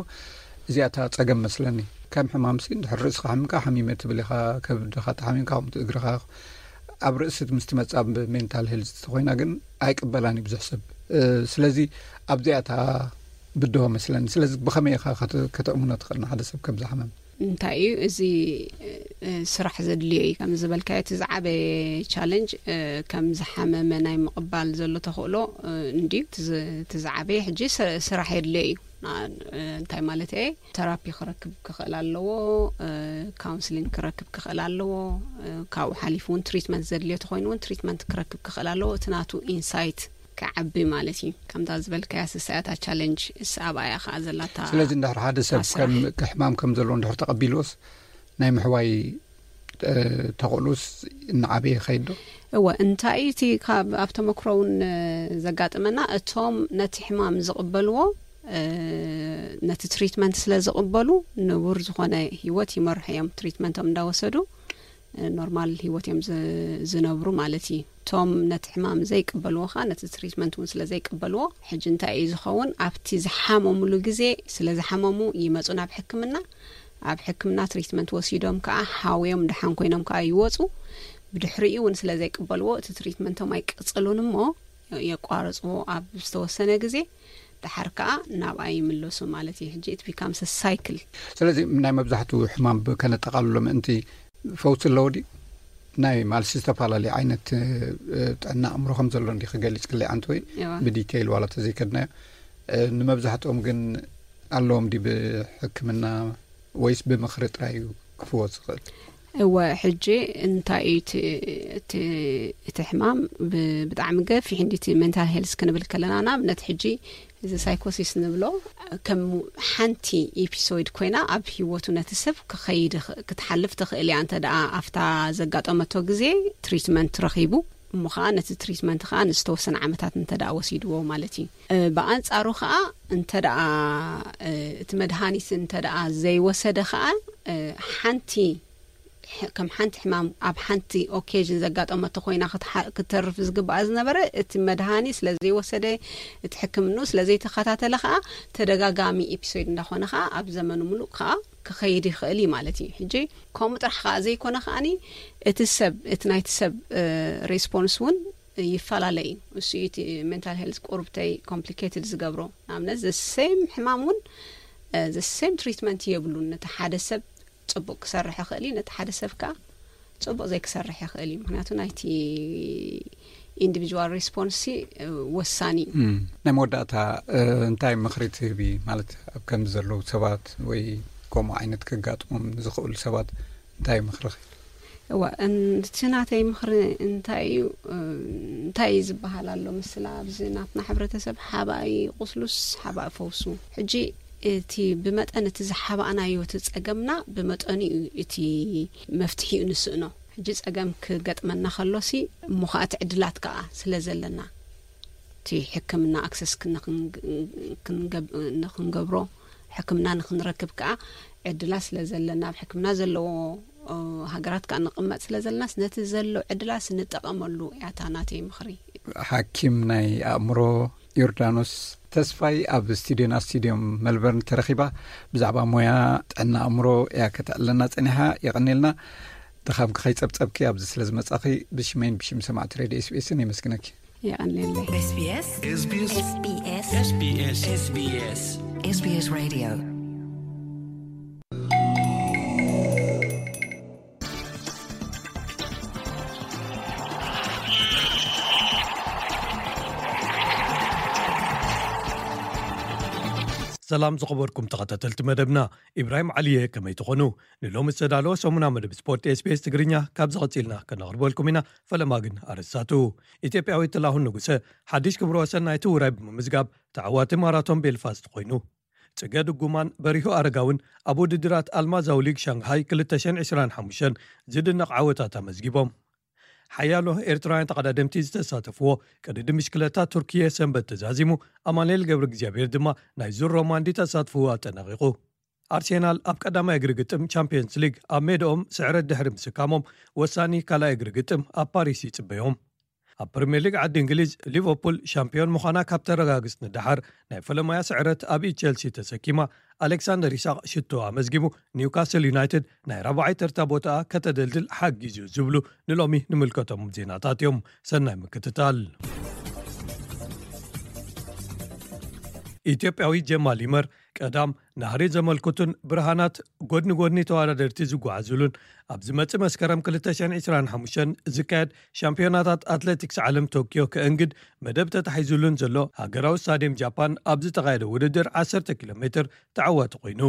እዚኣ እታ ጸገም መስለኒ። ከም ሕማምሲ እንድሕር ርእስኻ ሓሚምካ ሓሚመ ትብል ኢኻ፣ ከብድኻ ተሓሚምካ ከምኡ እግርኻ ኣብ ርእሲ ምስ ትመጽእ ኣብ ሜንታል ሄልዝ ተኾይና ግን ኣይቅበላን እዩ ብዙሕ ሰብ። እ፣ ስለዚ ኣብዚኣ እታ ብድሆ መስለኒ። ስለዚ ብኸመይ ኢኻ ከተ-፣ ከተእምኖ ትኽእል ንሓደ ሰብ ከም ዝሓመም? እንታይ እዩ እዚ፣ እ፣ ስራሕ ዘድልዮ እዩ። ከም ዝበልካዮ እቲ ዝዓበየ ቻለንጅ፣ እ፣ ከም ዝሓመመ ናይ ምቕባል ዘሎ ተኽእሎ፣ እ፣ እንድዩ። እቲ ዝ-፣ እቲ ዝዓበየ ሕጂ ስ-፣ ስራሕ የድልዮ እዩ። ና-፣ እ፣ እንታይ ማለት እየ? ተራፒ ክረክብ ክኽእል ኣለዎ፣ እ፣ ካውንስሊንግ ክረክብ ክኽእል ኣለዎ፣ እ፣ ካብኡ ሓሊፉ እውን ትሪትመንት ዘድልዮ ተኾይኑ እውን ትሪትመንት ክረክብ ክኽእል ኣለዎ። እቲ ናቱ ኢንሳይት ክዓቢ ማለት እዩ። ከምታ ዝበልካያ ስሳያታ ቻለንጅ እሳ ኣብኣያ ከኣ ዘላታ ስለዚ እንድሕር ሓደ ሰብ ኣስራሕ። ከም፣ ሕማም ከም ዘለዎ እንድሕር ተቐቢልዎስ ናይ ምሕዋይ፣ እ፣ ተኽእሎስ እናዓበየ ይኸይድ ዶ? እወ፣ እንታይ እቲ ካብ ኣብ ተመክሮ እውን፣ እ፣ ዘጋጥመና፣ እቶም ነቲ ሕማም ዝቕበልዎ፣ እ፣ ነቲ ትሪትመንት ስለ ዝቕበሉ ንቡር ዝኾነ ህይወት ይመርሑ እዮም። ትሪትመንቶም እንዳወሰዱ፣ እ፣ ኖርማል ህይወት እዮም ዝ-፣ ዝነብሩ ማለት እዩ። እቶም ነቲ ሕማም ዘይቅበልዎ ኸኣ ነቲ ትሪትመንት እውን ስለ ዘይቅበልዎ፣ ሕጂ እንታይ እዩ ዝኸውን? ኣብቲ ዝሓመሙሉ ግዜ ስለ ዝሓመሙ ይመጹ ናብ ሕክምና። ኣብ ሕክምና ትሪትመንት ወሲዶም ከኣ ሓውዮም ደሓን ኮይኖም ከኣ ይወጹ። ብድሕሪኡ እውን ስለ ዘይቅበልዎ እቲ ትሪትመንቶም ኣይቅጽሉን እሞ የቋርጽዎ ኣብ ዝተወሰነ ግዜ። ደሓር ከኣ ናብኣ ይምለሱ ማለት እዩ። ሕጂ it becomes a cycle። ስለዚ ናይ መብዛሕትኡ ሕማም ብ-፣ ከነጠቓልሎ ምእንቲ ፈውሲ ኣለዎ ድዩ? ናይ ማልሲ ዝተፈላለዩ ዓይነት፣ እ፣ ጥዕና ኣእምሮ ከም ዘሎ እንዲ ክገልጽ ክለይ ኣንተ ወይ እዋ። ብዲቴይል ዋላ ተዘይከድናዮ፣ እ፣ ንመብዛሕትኦም ግን ኣለዎም ድዩ ብሕክምና ወይስ ብምኽሪ ጥራይ እዩ ክፍወስ ዝኽእል? እወ፣ ሕጂ እንታይ እዩ እቲ፣ እቲ፣ እቲ ሕማም ብ-፣ ብጣዕሚ ገፊሕ እንዲ እቲ ሜንታል ሄልስ ክንብል ከለና፣ ንኣብነት ሕጂ እዚ ሳይኮሲስ ንብሎ ከም ሓንቲ ኤፒሶድ ኮይና ኣብ ህይወቱ ነቲ ሰብ ክኸይድ ይኽ-፣ ክትሓልፍ ትኽእል እያ። እንተ ደኣ ኣብታ ዘጋጠመቶ ግዜ ትሪትመንት ረኺቡ፣ እሞ ኸኣ ነቲ ትሪትመንት ኸኣ ንዝተወሰነ ዓመታት እንተ ደኣ ወሲድዎ ማለት እዩ። እ፣ ብኣንጻሩ ኸኣ እንተ ደኣ፣ እ፣ እቲ መድሃኒት እንተ ደኣ ዘይወሰደ ኸኣ፣ እ፣ ሓንቲ ሕ-፣ ከም ሓንቲ ሕማም ኣብ ሓንቲ ኦኬዥን ዘጋጠመቶ ኮይና ክትሓ-፣ ክትተርፍ ዝግባኣ ዝነበረ፣ እቲ መድሃኒ ስለ ዘይወሰደ፣ እቲ ሕክምንኡ ስለ ዘይተኸታተለ ኸኣ ተደጋጋሚ ኤፒሶድ እንዳኾነ ኸኣ ኣብ ዘመኑ ምሉእ ኸኣ ክኸይድ ይኽእል እዩ ማለት እዩ። ሕጂ ከምኡ ጥራሕ ኸኣ ዘይኮነ ኸኣኒ እቲ ሰብ፣ እቲ ናይቲ ሰብ፣ እ፣ ሬስፖንስ እውን ይፈላለ እዩ። እሱ እዩ እቲ ሜንታል ሄልዝ ቁርብተይ ኮምፕሊኬትድ ዝገብሮ። ንኣብነት ዘ ሴም ሕማም እውን፣ እ፣ ዘ ሴም ትሪትመንት የብሉን። ነቲ ሓደ ሰብ ጽቡቕ ክሰርሕ ይኽእል እዩ፣ ነቲ ሓደ ሰብ ከኣ ጽቡቕ ዘይክሰርሕ ይኽእል እዩ። ምኽንያቱ ናይቲ ኢንዲቪጁዋል ሪስፖንስ ወሳኒ እዩ። ናይ መወዳእታ እንታይ ምኽሪ ትህቢ? ማለት ኣብ ከምዚ ዘለዉ ሰባት ወይ ከምኡ ዓይነት ከጋጥሞም ዝኽእሉ ሰባት እንታይ ምኽሪ? እዋ፣ እቲ ናተይ ምኽሪ እንታይ እዩ? እንታይ እዩ ዝበሃል ኣሎ? ምስላ ኣብዚ ናትና ሕብረተሰብ ሓባኢ ቁስሉስ ሓባኢ ፈውሱ። ሕጂ እቲ ብመጠን እቲ ዝሓባእናዮ እቲ ጸገምና ብመጠኑ እዩ እቲ መፍትሒኡ ንስእኖ። ሕጂ ጸገም ክገጥመና ከሎሲ እሞ ከኣ እቲ ዕድላት ከኣ ስለ ዘለና እቲ ሕክምና ኣክሰስ ንክንገብሮ ሕክምና ንክንረክብ ከኣ ዕድላት ስለ ዘለና ኣብ ሕክምና ዘለዎ ሃገራት ከኣ ንቕመጥ ስለ ዘለናስ ነቲ ዘሎ ዕድላት ንጠቐመሉ ያታ ናተይ ምኽሪ። ሓኪም ናይ ኣእምሮ ዮርዳኖስ ተስፋይ ኣብ ስቱድዮና ስቱድዮም መልበርን ተረኺባ ብዛዕባ ሞያ ጥዕና ኣእምሮ እያ ከተዕልና ጸኒሓ። የቐኔልና ድኻምኪ ከይጸብጸብኪ ኣብዚ ስለ ዝመጻኺ ብሽመይን ብሽም ሰማዕቲ ሬድዮ ኤስቢኤስን የመስግነኪ። የቐኔለይ። SBS SBS SBS SBS SBS Radio። ሰላም ዝኸበርኩም ተኸታተልቲ መደብና፣ ኢብራሂም ዓሊየ ከመይ ትኾኑ? ንሎሚ ዝተዳለወ ሰሙና መደብ ስፖርት SBS ትግርኛ ካብ ዝቐጺልና ከነቕርበልኩም ኢና። ፈለማ ግን ኣርእስታቱ። ኢትዮጵያዊ ጥላሁን ንጉሰ ሓድሽ ክብረ ወሰን ናይቲ ውራይ ብምምዝጋብ ተዓዋቲ ማራቶን ቤልፋስት ኮይኑ። ጽገ ድጉማን በሪሁ ኣረጋውን ኣብ ውድድራት ኣልማዛዊ ሊግ ሻንግሃይ ክልተ ሽሕን ዕስራን ሓሙሽተን ዝድነቕ ዓወታት ኣመዝጊቦም። ሓያሎ ኤርትራውያን ተቐዳደምቲ ዝተሳተፍዎ ቅድድም ብሽክለታ ቱርኪየ ሰንበት ተዛዚሙ። ኣማኑኤል ገብረ እግዚኣብሔር ድማ ናይ ዙር ሮማንዲ ተሳትፍዎ ኣጠናቒቑ። ኣርሴናል ኣብ ቀዳማይ እግሪ ግጥም ቻምፒየንስ ሊግ ኣብ ሜድኦም ስዕረት ድሕሪ ምስካሞም፣ ወሳኒ ካልኣይ እግሪ ግጥም ኣብ ፓሪስ ይጽበዮም። ኣብ ፕሪምየር ሊግ ዓዲ እንግሊዝ፣ ሊቨርፑል ሻምፒዮን ምዃና ካብ ተረጋግጽ ንደሓር፣ ናይ ፈለማያ ስዕረት ኣብ ኢድ ቸልሲ ተሰኪማ። ኣሌክሳንደር ኢሳቕ ሽቶ ኣመዝጊቡ። ኒውካስል ዩናይትድ ናይ ራብዓይ ተርታ ቦታኣ ከተደልድል ሓጊዙ ዝብሉ ንሎሚ ንምልከቶም ዜናታት እዮም። ሰናይ ምክትታል። ኢትዮጵያዊ ጀማል ይመር ቀዳም ናህሪ ዘመልክቱን ብርሃናት ጎድኒ ጎድኒ ተወዳደርቲ ዝጓዓዙሉን ኣብ ዝመጽእ መስከረም ክልተ ሽሕን ዕስራን ሓሙሽተን ዝካየድ ሻምፒዮናታት ኣትሌቲክስ ዓለም ቶኪዮ ክእንግድ መደብ ተታሒዙሉን ዘሎ ሃገራዊ ስታድየም ጃፓን ኣብ ዝተኻየደ ውድድር ዓሰርተ ኪሎ ሜትር ተዓዋቲ ኮይኑ።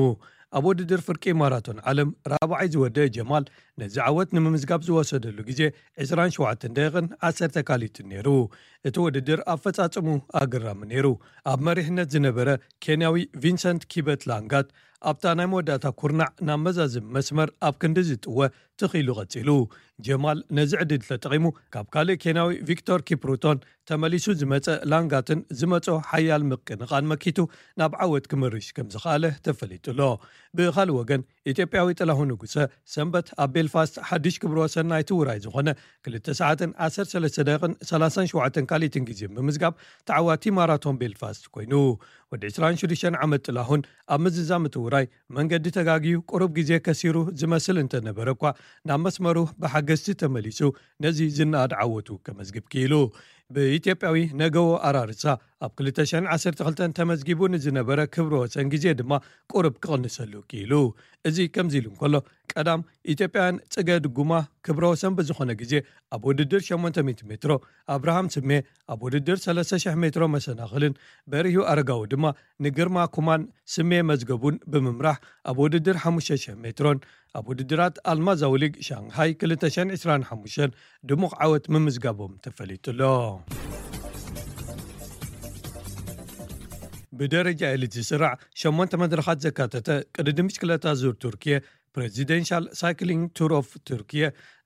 ኣብ ውድድር ፍርቂ ማራቶን ዓለም ራብዓይ ዝወደአ ጀማል ነዚ ዓወት ንምምዝጋብ ዝወሰደሉ ግዜ ዕስራን ሸውዓተን ደቂቕን ዓሰርተ ካሊትን ነይሩ። እቲ ውድድር ኣፈጻጽሙ ኣገራሚ ነይሩ። ኣብ መሪሕነት ዝነበረ ኬንያዊ ቪንሰንት ኪበት ላንጋት ኣብታ ናይ መወዳእታ ኩርናዕ ናብ መዛዝም መስመር ኣብ ክንዲ ዝጥወ ትኺሉ ቀጺሉ። ጀማል ነዚ ዕድል ተጠቒሙ ካብ ካልእ ኬንያዊ ቪክቶር ኪፕሩቶን ተመሊሱ ዝመጸ ላንጋትን ዝመጾ ሓያል ምቅንቓን መኪቱ ናብ ዓወት ክምርሽ ከም ዝኸኣለ ተፈሊጡ ኣሎ። ብኻልእ ወገን ኢትዮጵያዊ ጥላሁን ንጉሰ ሰንበት ኣብ ቤልፋስት ሓድሽ ክብረ ወሰን ናይቲ ውራይ ዝኾነ ክልተ ሰዓትን ዓሰርተ ሰለስተ ደቂቕን ሰላሳን ሸውዓተን ካሊትን ግዜ ብምዝጋብ ተዓዋቲ ማራቶን ቤልፋስት ኮይኑ። ወዲ ዕስራን ሽዱሽተን ዓመት ጥላሁን ኣብ ምዝዛም እቲ ውራይ መንገዲ ተጋግዩ ቁሩብ ግዜ ከሲሩ ዝመስል እንተነበረ እኳ ናብ መስመሩ ብሓገዝቲ ተመሊሱ ነዚ ዝነኣድ ዓወቱ ከመዝግብ ክኢሉ። ብኢትዮጵያዊ ነገዎ ኣራርሳ ኣብ ክልተ ሽሕን ዓሰርተ ክልተን ተመዝጊቡ ንዝነበረ ክብረ ወሰን ግዜ ድማ ቁሩብ ክቕንሰሉ ክኢሉ። እዚ ከምዚ ኢሉ እንከሎ ቀዳም ኢትዮጵያውያን ጽገ ድጉማ ክብረ ወሰን ብዝኾነ ግዜ ኣብ ውድድር ሸሞንተ ሚእቲ ሜትሮ፣ ኣብርሃም ስሜ ኣብ ውድድር ሰለስተ ሽሕ ሜትሮ መሰናኽልን በሪሁ ኣረጋዊ ድማ ንግርማ ኩማን ስሜ መዝገቡን ብምምራሕ ኣብ ውድድር ሓሙሽተ ሽሕ ሜትሮን ኣብ ውድድራት ኣልማዛዊ ሊግ ሻንግሃይ ክልተ ሽሕን ዕስራን ሓሙሽተን ድሙቕ ዓወት ምምዝጋቦም ተፈሊጡ ኣሎ። ብደረጃ ኤሊት ዝስራዕ ሸሞንተ መድረኻት ዘካተተ ቅድድም ብሽክለታ ዙር ቱርኪየ ፕሬዚደንሻል ሳይክሊንግ ቱር ኦፍ ቱርኪየ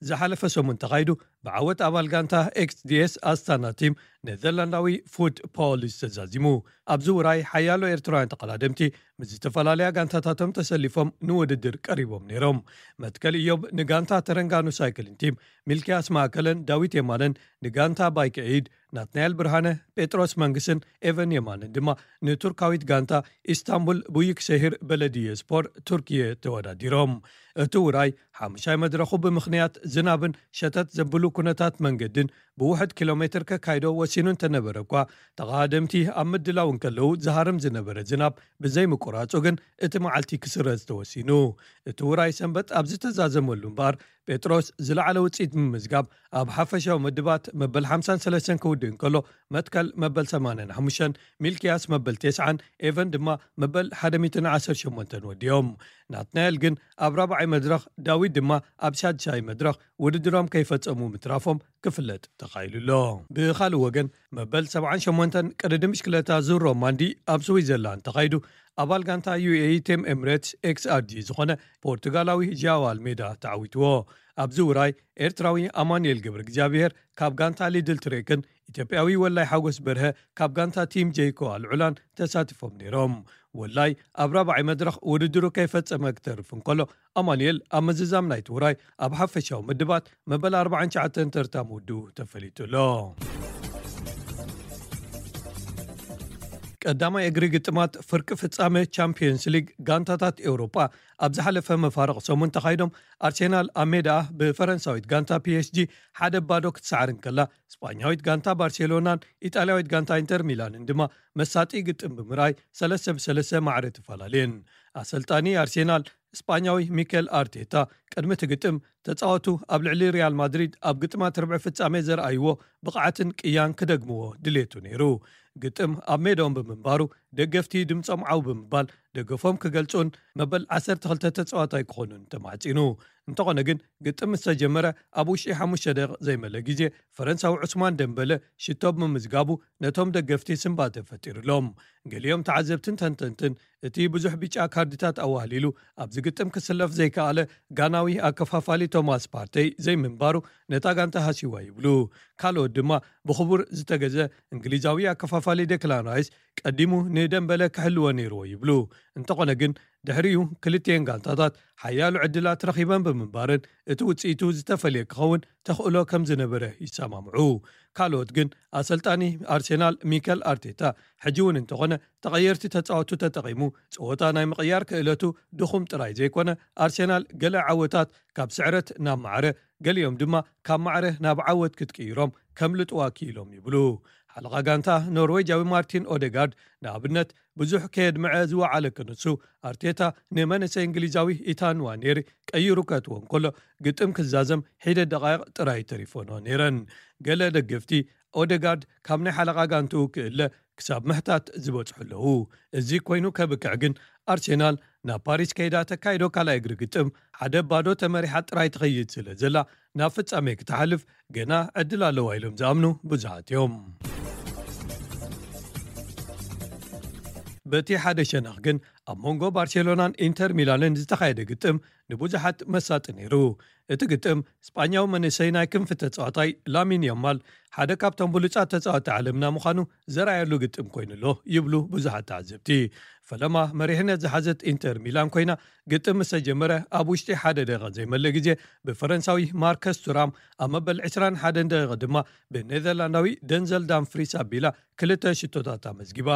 ዝሓለፈ ሰሙን ተኻይዱ ብዓወት ኣባል ጋንታ ኤክስዲኤስ ኣስታና ቲም ኔዘርላንዳዊ ፉት ፖሊስ ተዛዚሙ። ኣብዚ ውራይ ሓያሎ ኤርትራውያን ተቐዳደምቲ ምስ ዝተፈላለያ ጋንታታቶም ተሰሊፎም ንውድድር ቀሪቦም ነይሮም። መትከል ኢዮብ ንጋንታ ተረንጋኑ ሳይክሊን ቲም፣ ሚልክያስ ማእከለን ዳዊት የማነን ንጋንታ ባይክ ኤይድ፣ ናትናኤል ብርሃነ፣ ጴጥሮስ መንግስን ኤቨን የማንን ድማ ንቱርካዊት ጋንታ ኢስታንቡል ቡዩክሸሂር በለድየ ስፖር ቱርኪየ ተወዳዲሮም። እቲ ውራይ ሓሙሻይ መድረኹ ብምኽንያት ዝናብን ሸተት ዘብሉ ኩነታት መንገድን ብውሑድ ኪሎ ሜትር ከካይዶ ወሲኑ እንተነበረ እኳ፣ ተቐዳደምቲ ኣብ ምድላው እንከለዉ ዝሃርም ዝነበረ ዝናብ ብዘይምቁራጹ ግን እቲ መዓልቲ ክስረዝ ተወሲኑ። እቲ ውራይ ሰንበት ኣብ ዝተዛዘመሉ እምበኣር ጴጥሮስ ዝለዓለ ውፅኢት ብምምዝጋብ ኣብ ሓፈሻዊ ምድባት መበል ሓምሳን ሰለስተን ክውድእ እንከሎ፣ መትከል መበል ሰማንያን ሓሙሽተን፣ ሚልክያስ መበል ተስዓን ኤቨን ድማ መበል ሓደ ሚእትን ዓሰርተ ሸሞንተን ወዲኦም። ናትናኤል ግን ኣብ ራብዓይ መድረኽ፣ ዳዊት ድማ ኣብ ሳድሳይ መድረኽ ውድድሮም ከይፈጸሙ ምትራፎም ክፍለጥ ተኻኢሉ ኣሎ። ብኻልእ ወገን፣ መበል ሰብዓን ሸሞንተን ቅድድም ብሽክለታ ዙር ሮማንዲ ኣብ ስዊዘርላንድ ተኻይዱ፣ ኣባል ጋንታ ዩ ኤ ኢ ቲም ኤምሬትስ ኤክስ ኣር ጂ ዝኾነ ፖርቱጋላዊ ጃዋ ኣልሜዳ ተዓዊትዎ። ኣብዚ ውራይ፣ ኤርትራዊ ኣማኑኤል ገብረ እግዚኣብሔር ካብ ጋንታ ሊድል ትሬክን ኢትዮጵያዊ ወላይ ሓጎስ በርሀ ካብ ጋንታ ቲም ጄይኮ ኣልዑላን ተሳቲፎም ነይሮም። ወላይ ኣብ ራብዓይ መድረኽ ውድድሩ ከይፈጸመ ክተርፍ እንከሎ፣ ኣማኑኤል ኣብ ምዝዛም ናይቲ ውራይ ኣብ ሓፈሻዊ ምድባት መበል ኣርባዓን ትሽዓተን ተርታ ምውድኡ ተፈሊጡ ኣሎ። ቀዳማይ እግሪ ግጥማት ፍርቂ ፍጻመ ቻምፒዮንስ ሊግ ጋንታታት ኤውሮጳ ኣብ ዝሓለፈ መፋርቕ ሰሙን ተኻይዶም፣ ኣርሴናል ኣብ ሜዳ ብፈረንሳዊት ጋንታ ፒ ኤስ ጂ ሓደ ባዶ ክትሰዓር እንከላ፣ ስጳኛዊት ጋንታ ባርሴሎናን ኢጣልያዊት ጋንታ ኢንተር ሚላንን ድማ መሳጢ ግጥም ብምርኣይ ሰለስተ ብሰለስተ ማዕረ ተፈላለየን። ኣሰልጣኒ ኣርሴናል ስጳኛዊ ሚኬል ኣርቴታ ቅድሚ እቲ ግጥም፣ ተጻወቱ ኣብ ልዕሊ ሪያል ማድሪድ ኣብ ግጥማት ርብዒ ፍጻሜ ዘርኣይዎ ብቕዓትን ቅያን ክደግምዎ ድሌቱ ነይሩ። ግጥም ኣብ ሜዳኦም ብምንባሩ፣ ደገፍቲ ድምጾም ዓው ብምባል ደገፎም ክገልጹን መበል ዓሰርተ ክልተ ተጻዋታይ ክኾኑን ተማሕጺኑ። እንተኾነ ግን፣ ግጥም ምስ ተጀመረ ኣብ ውሽጢ ሓሙሽተ ደቂቕ ዘይመለ ግዜ፣ ፈረንሳዊ ዑስማን ደምበለ ሽቶ ብምምዝጋቡ ነቶም ደገፍቲ ስንባተ ፈጢሩሎም። ገሊኦም ተዓዘብትን ተንተንትን፣ እቲ ብዙሕ ቢጫ ካርድታት ኣዋህሊሉ ኣብዚ ግጥም ክስለፍ ዘይከኣለ ጋናዊ ኣከፋፋሊ ቶማስ ፓርተይ ዘይምንባሩ ነታ ጋንታ ሃሲዋ ይብሉ። ካልኦት ድማ፣ ብኽቡር ዝተገዘ እንግሊዛዊ ኣከፋፋሊ ዴክላን ራይስ ቀዲሙ ንደምበለ ክሕልዎ ነይርዎ ይብሉ። እንተኾነ ግን፣ ድሕሪኡ ክልቲኤን ጋንታታት ሓያሎ ዕድላት ረኺበን ብምንባረን፣ እቲ ውጽኢቱ ዝተፈልየ ክኸውን ተኽእሎ ከም ዝነበረ ይሰማምዑ። ካልኦት ግን፣ ኣሰልጣኒ ኣርሴናል ሚከል ኣርቴታ ሕጂ እውን እንተኾነ ተቐየርቲ ተጻወቱ ተጠቒሙ ጸወታ ናይ ምቕያር ክእለቱ ድኹም ጥራይ ዘይኮነ፣ ኣርሴናል ገለ ዓወታት ካብ ስዕረት ናብ ማዕረ፣ ገሊኦም ድማ ካብ ማዕረ ናብ ዓወት ክትቅይሮም ከምልጥዋ ክኢሎም ይብሉ። ሓለቓ ጋንታ ኖርዌጃዊ ማርቲን ኦደጋርድ ንኣብነት ብዙሕ ከየድምዐ ዝወዓለ ክንሱ፣ ኣርቴታ ንመንእሰይ እንግሊዛዊ ኢታን ንዋኔሪ ቀይሩ ከእትዎ እንከሎ፣ ግጥም ክዛዘም ሒደት ደቓይቕ ጥራይ ተሪፎኖ ነይረን። ገለ ደገፍቲ፣ ኦደጋርድ ካብ ናይ ሓለቓ ጋንትኡ ክእለ ክሳብ ምሕታት ዝበጽሑ ኣለዉ። እዚ ኮይኑ ከብቅዕ ግን፣ ኣርሴናል ናብ ፓሪስ ከይዳ ተካይዶ ካልኣይ እግሪ ግጥም ሓደ ባዶ ተመሪሓ ጥራይ ትኸይድ ስለ ዘላ፣ ናብ ፍጻሜ ክትሓልፍ ገና ዕድል ኣለዋ ኢሎም ዝኣምኑ ብዙሓት እዮም። በቲ ሓደ ሸነኽ ግን፣ ኣብ መንጎ ባርሴሎናን ኢንተር ሚላንን ዝተኻየደ ግጥም ንብዙሓት መሳጢ ነይሩ። እቲ ግጥም፣ ስጳኛዊ መንእሰይ ናይ ክንፊ ተጻዋታይ ላሚን ያማል ሓደ ካብቶም ብሉጻት ተጻወቲ ዓለምና ምዃኑ ዘርኣየሉ ግጥም ኮይኑ ኣሎ ይብሉ ብዙሓት ተዓዘብቲ። ፈለማ መሪሕነት ዝሓዘት ኢንተር ሚላን ኮይና፣ ግጥም ምስ ተጀመረ ኣብ ውሽጢ ሓደ ደቂቕ ዘይመልእ ግዜ ብፈረንሳዊ ማርከስ ቱራም፣ ኣብ መበል ዕስራን ሓደን ደቂቕ ድማ ብኔዘርላንዳዊ ደንዘል ዳምፍሪስ ኣቢላ ክልተ ሽቶታት ኣመዝጊባ።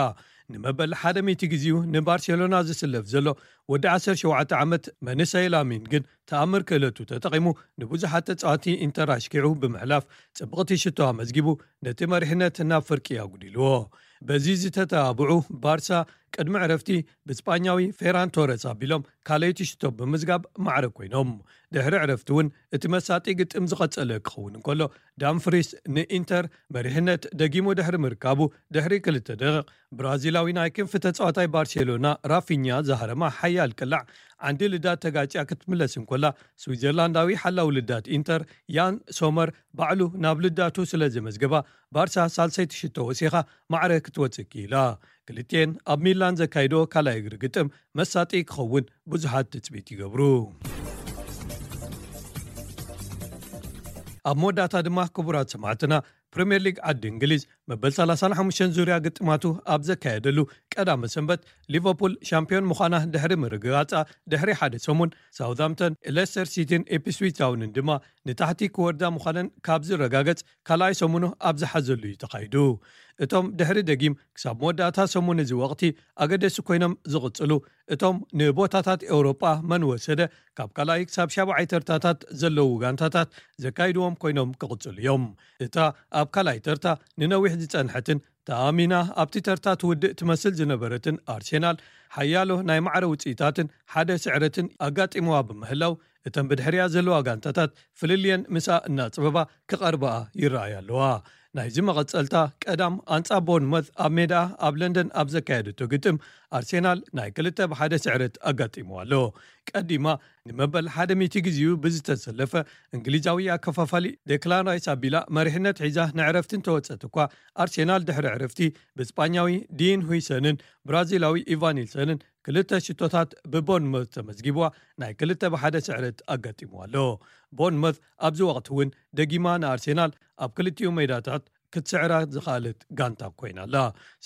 ንመበል ሓደ ሚእቲ ግዜኡ ንባርሴሎና ዝስለፍ ዘሎ ወዲ ዓሰርተ ሸውዓተ ዓመት መንእሰይ ላሚን ግን፣ ተኣምር ክእለቱ ተጠቒሙ ንብዙሓት ተጻወቲ ኢንተር ኣሽኪዑ ብምሕላፍ፣ ጽብቕቲ ሽቶ ኣመዝጊቡ ነቲ መሪሕነት ናብ ፍርቂ ኣጉዲልዎ። በዚ ዝተተባብዑ፣ ባርሳ ቅድሚ ዕረፍቲ ብስጳኛዊ ፌራን ቶረስ ኣቢሎም ካልኣይቲ ሽቶ ብምዝጋብ ማዕረ ኮይኖም። ድሕሪ ዕረፍቲ እውን እቲ መሳጢ ግጥም ዝቐጸለ ክኸውን እንከሎ፣ ዳምፍሪስ ንኢንተር መሪሕነት ደጊሙ ድሕሪ ምርካቡ፣ ድሕሪ ክልተ ደቂቕ ብራዚላዊ ናይ ክንፊ ተጻዋታይ ባርሴሎና ራፊኛ ዝሃረማ ሓያል ቅላዕ፣ ዓንዲ ልዳት ተጋጭያ ክትምለስ እንከላ፣ ስዊዘርላንዳዊ ሓላው ልዳት ኢንተር ያን ሶመር ባዕሉ ናብ ልዳቱ ስለ ዘመዝገባ፣ ባርሳ ሳልሰይቲ ሽቶ ወሲኻ ማዕረ ክትወጽእ ክኢላ። ክልቲኤን ኣብ ሚላን ዘካይዶ ካልኣይ እግሪ ግጥም መሳጢ ክኸውን ብዙሓት ትጽቢት ይገብሩ። ኣብ መወዳእታ ድማ፣ ክቡራት ሰማዕትና፣ ፕሪምየር ሊግ ዓዲ እንግሊዝ መበል ሰላሳን ሓሙሽተን ዙርያ ግጥማቱ ኣብ ዘካየደሉ ቀዳመ ሰንበት፣ ሊቨርፑል ሻምፒዮን ምዃና ድሕሪ ምርግጋጻ፣ ድሕሪ ሓደ ሰሙን ሳውዝሃምፕተን፣ ሌስተር ሲቲን ኢፕስዊች ታውንን ድማ ንታሕቲ ክወርዳ ምዃነን ካብ ዝረጋገጽ ካልኣይ ሰሙኑ ኣብ ዝሓዘሉ እዩ ተኻይዱ። እቶም ድሕሪ ደጊም ክሳብ መወዳእታ ሰሙን እዚ ወቕቲ ኣገደሲ ኮይኖም ዝቕጽሉ፣ እቶም ንቦታታት ኤውሮጳ መን ወሰደ ካብ ካልኣይ ክሳብ ሻብዓይ ተርታታት ዘለዉ ጋንታታት ዘካይድዎም ኮይኖም ክቕጽሉ እዮም። እታ ኣብ ካልኣይ ተርታ ንነዊሕ ዝጸንሐትን ተኣሚና ኣብቲ ተርታ ትውድእ ትመስል ዝነበረትን ኣርሴናል፣ ሓያሎ ናይ ማዕረ ውጽኢታትን ሓደ ስዕረትን ኣጋጢምዋ ብምህላው፣ እተን ብድሕሪያ ዘለዋ ጋንታታት ፍልልየን ምስኣ እናጽበባ ክቐርባኣ ይረኣያ ኣለዋ። ናይዚ መቐጸልታ ቀዳም ኣንጻር ቦርንመዝ ኣብ ሜዳ ኣብ ለንደን ኣብ ዘካየደቶ ግጥም ኣርሴናል ናይ ክልተ ብሓደ ስዕረት ኣጋጢምዋ ኣሎ። ቀዲማ ንመበል ሓደ ሚእቲ ግዜኡ ብዝተሰለፈ እንግሊዛዊ ኣከፋፋሊ ዴክላን ራይስ ኣቢላ መሪሕነት ሒዛ ንዕረፍቲ እንተወጸት እኳ ኣርሴናል ድሕሪ ዕረፍቲ ብስጳኛዊ ዲን ሁይሰንን ብራዚላዊ ኢቫን ኒልሰንን ክልተ ሽቶታት ብቦርንመዝ ተመዝጊብዋ ናይ ክልተ ብሓደ ስዕረት ኣጋጢምዋ ኣሎ። ቦርንመዝ ኣብዚ ወቕቲ እውን ደጊማ ንኣርሴናል ኣብ ክልቲኡ ሜዳታት ክትስዕራ ዝኸኣለት ጋንታ ኮይና ኣላ።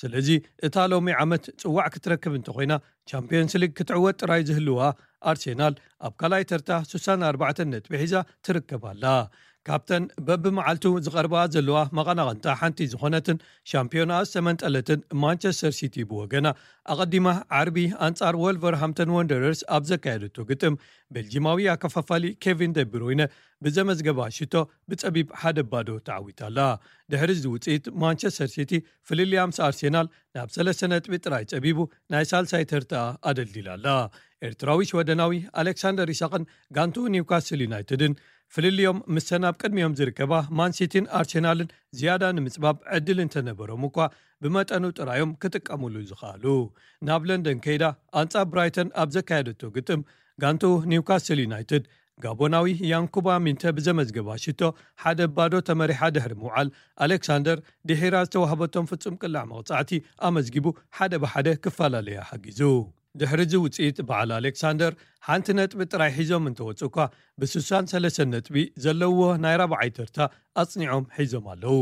ስለዚ እታ ሎሚ ዓመት ጽዋዕ ክትረክብ እንተኾይና ቻምፒዮንስ ሊግ ክትዕወት ጥራይ ዝህልዋ ኣርሴናል ኣብ ካልኣይ ተርታ ስሳን ኣርባዕተን ነጥቢ ሒዛ ትርከብ ኣላ። ካብተን በብመዓልቱ ዝቐርባ ዘለዋ መቐናቕንታ ሓንቲ ዝኾነትን ሻምፒዮና ዝተመንጠለትን ማንቸስተር ሲቲ ብወገና ኣቐዲማ ዓርቢ ኣንጻር ወልቨርሃምተን ወንደረርስ ኣብ ዘካየደቶ ግጥም ቤልጂማዊ ኣከፋፋሊ ኬቪን ደብሮይነ ብዘመዝገባ ሽቶ ብጸቢብ ሓደ ባዶ ተዓዊታ ኣላ። ድሕሪ እዚ ውጽኢት ማንቸስተር ሲቲ ፍልልያ ምስ ኣርሴናል ናብ ሰለስተ ነጥቢ ጥራይ ጸቢቡ ናይ ሳልሳይ ተርታ ኣደልዲላ ኣላ። ኤርትራዊ ሽወደናዊ ኣሌክሳንደር ኢሳቕን ጋንቱ ኒውካስል ዩናይትድን ፍልልዮም ምስተን ኣብ ቅድሚኦም ዝርከባ ማንሲቲን ኣርሴናልን ዝያዳ ንምጽባብ ዕድል እንተነበሮም እኳ ብመጠኑ ጥራዮም ክጥቀሙሉ ዝኸኣሉ። ናብ ለንደን ከይዳ ኣንጻር ብራይተን ኣብ ዘካየደቶ ግጥም ጋንቱ ኒውካስል ዩናይትድ ጋቦናዊ ያንኩባ ሚንተ ብዘመዝገባ ሽቶ ሓደ ባዶ ተመሪሓ ድሕሪ ምውዓል ኣሌክሳንደር ድሒራ ዝተዋህበቶም ፍጹም ቅላዕ መቕጻዕቲ ኣመዝጊቡ ሓደ ብሓደ ክፈላለያ ሓጊዙ። ድሕሪ እዚ ውጽኢት በዓል ኣሌክሳንደር ሓንቲ ነጥቢ ጥራይ ሒዞም እንተወጹ እኳ ብስሳን ሰለስተን ነጥቢ ዘለዎ ናይ ራብዓይ ተርታ ኣጽኒዖም ሒዞም ኣለዉ።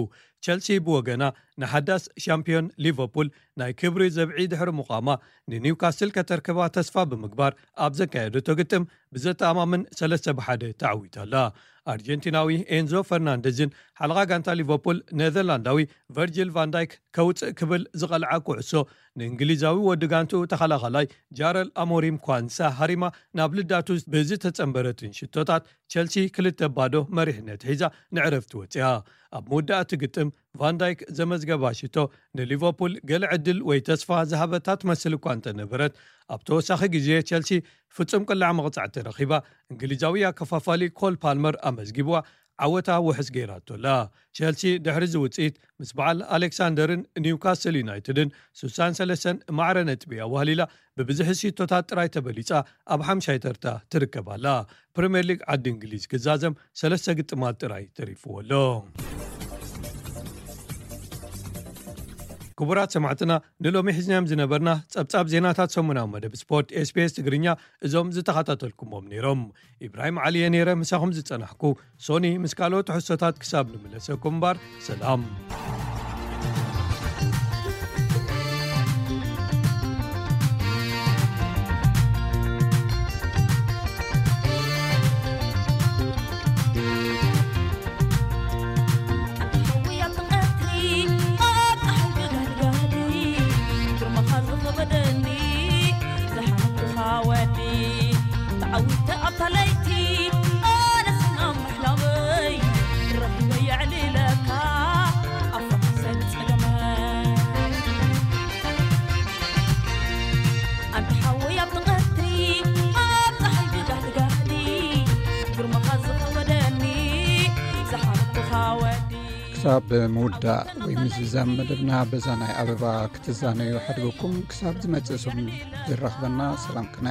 ቸልሲ ብወገና ንሓዳስ ሻምፒዮን ሊቨርፑል ናይ ክብሪ ዘብዒ ድሕሪ ምቋማ ንኒውካስል ከተርክባ ተስፋ ብምግባር ኣብ ዘካየደቶ ግጥም ብዘተኣማምን ሰለስተ ብሓደ ተዓዊታ ኣላ። ኣርጀንቲናዊ ኤንዞ ፈርናንደዝን ሓለቓ ጋንታ ሊቨርፑል ኔዘርላንዳዊ ቨርጂል ቫንዳይክ ከውፅእ ክብል ዝቐልዓ ኩዕሶ ንእንግሊዛዊ ወዲ ጋንቱ ተኸላኸላይ ጃረል ኣሞሪም ኳንሳ ሃሪማ ናብ ልዳቱ ብዝተጸንበረትን ሽቶታት ቸልሲ ክልተ ባዶ መሪሕነት ሒዛ ንዕረፍቲ ወፅያ። ኣብ መወዳእቲ ግጥም ቫንዳይክ ዘመዝገባ ሽቶ ንሊቨርፑል ገለ ዕድል ወይ ተስፋ ዝሃበታ ትመስል እኳ እንተነበረት ኣብ ተወሳኺ ግዜ ቸልሲ ፍጹም ቅላዕ መቕጻዕቲ ረኺባ እንግሊዛዊ ኣከፋፋሊ ኮል ፓልመር ኣመዝጊብዋ ዓወታ ውሕስ ገይራቶ ኣላ። ቸልሲ ድሕሪ እዚ ውፅኢት ምስ በዓል ኣሌክሳንደርን ኒውካስል ዩናይትድን ስሳን ሰለስተን ማዕረ ነጥቢ ኣዋህሊላ ብብዝሒ ሽቶታት ጥራይ ተበሊፃ ኣብ ሓምሻይ ተርታ ትርከብ ኣላ። ፕሪምየር ሊግ ዓዲ እንግሊዝ ክዛዘም ሰለስተ ግጥማት ጥራይ ተሪፍዎ ኣሎ። ክቡራት ሰማዕትና ንሎሚ ሒዝናዮም ዝነበርና ጸብጻብ ዜናታት ሰሙናዊ መደብ ስፖርት ኤስቢኤስ ትግርኛ እዞም ዝተኸታተልኩሞም ነይሮም። ኢብራሂም ዓሊ እየ ነይረ ምሳኹም ዝጸናሕኩ። ሶኒ ምስ ካልኦት ትሕዝቶታት ክሳብ ንምለሰኩም እምበር ሰላም። ክሳብ ምውዳእ ወይ ምዝዛም መደብና በዛ ናይ ኣበባ ክትዛነዩ ሓድገኩም። ክሳብ ዝመጽእ ሰሙን ዝራኽበና ሰላም ቅነ።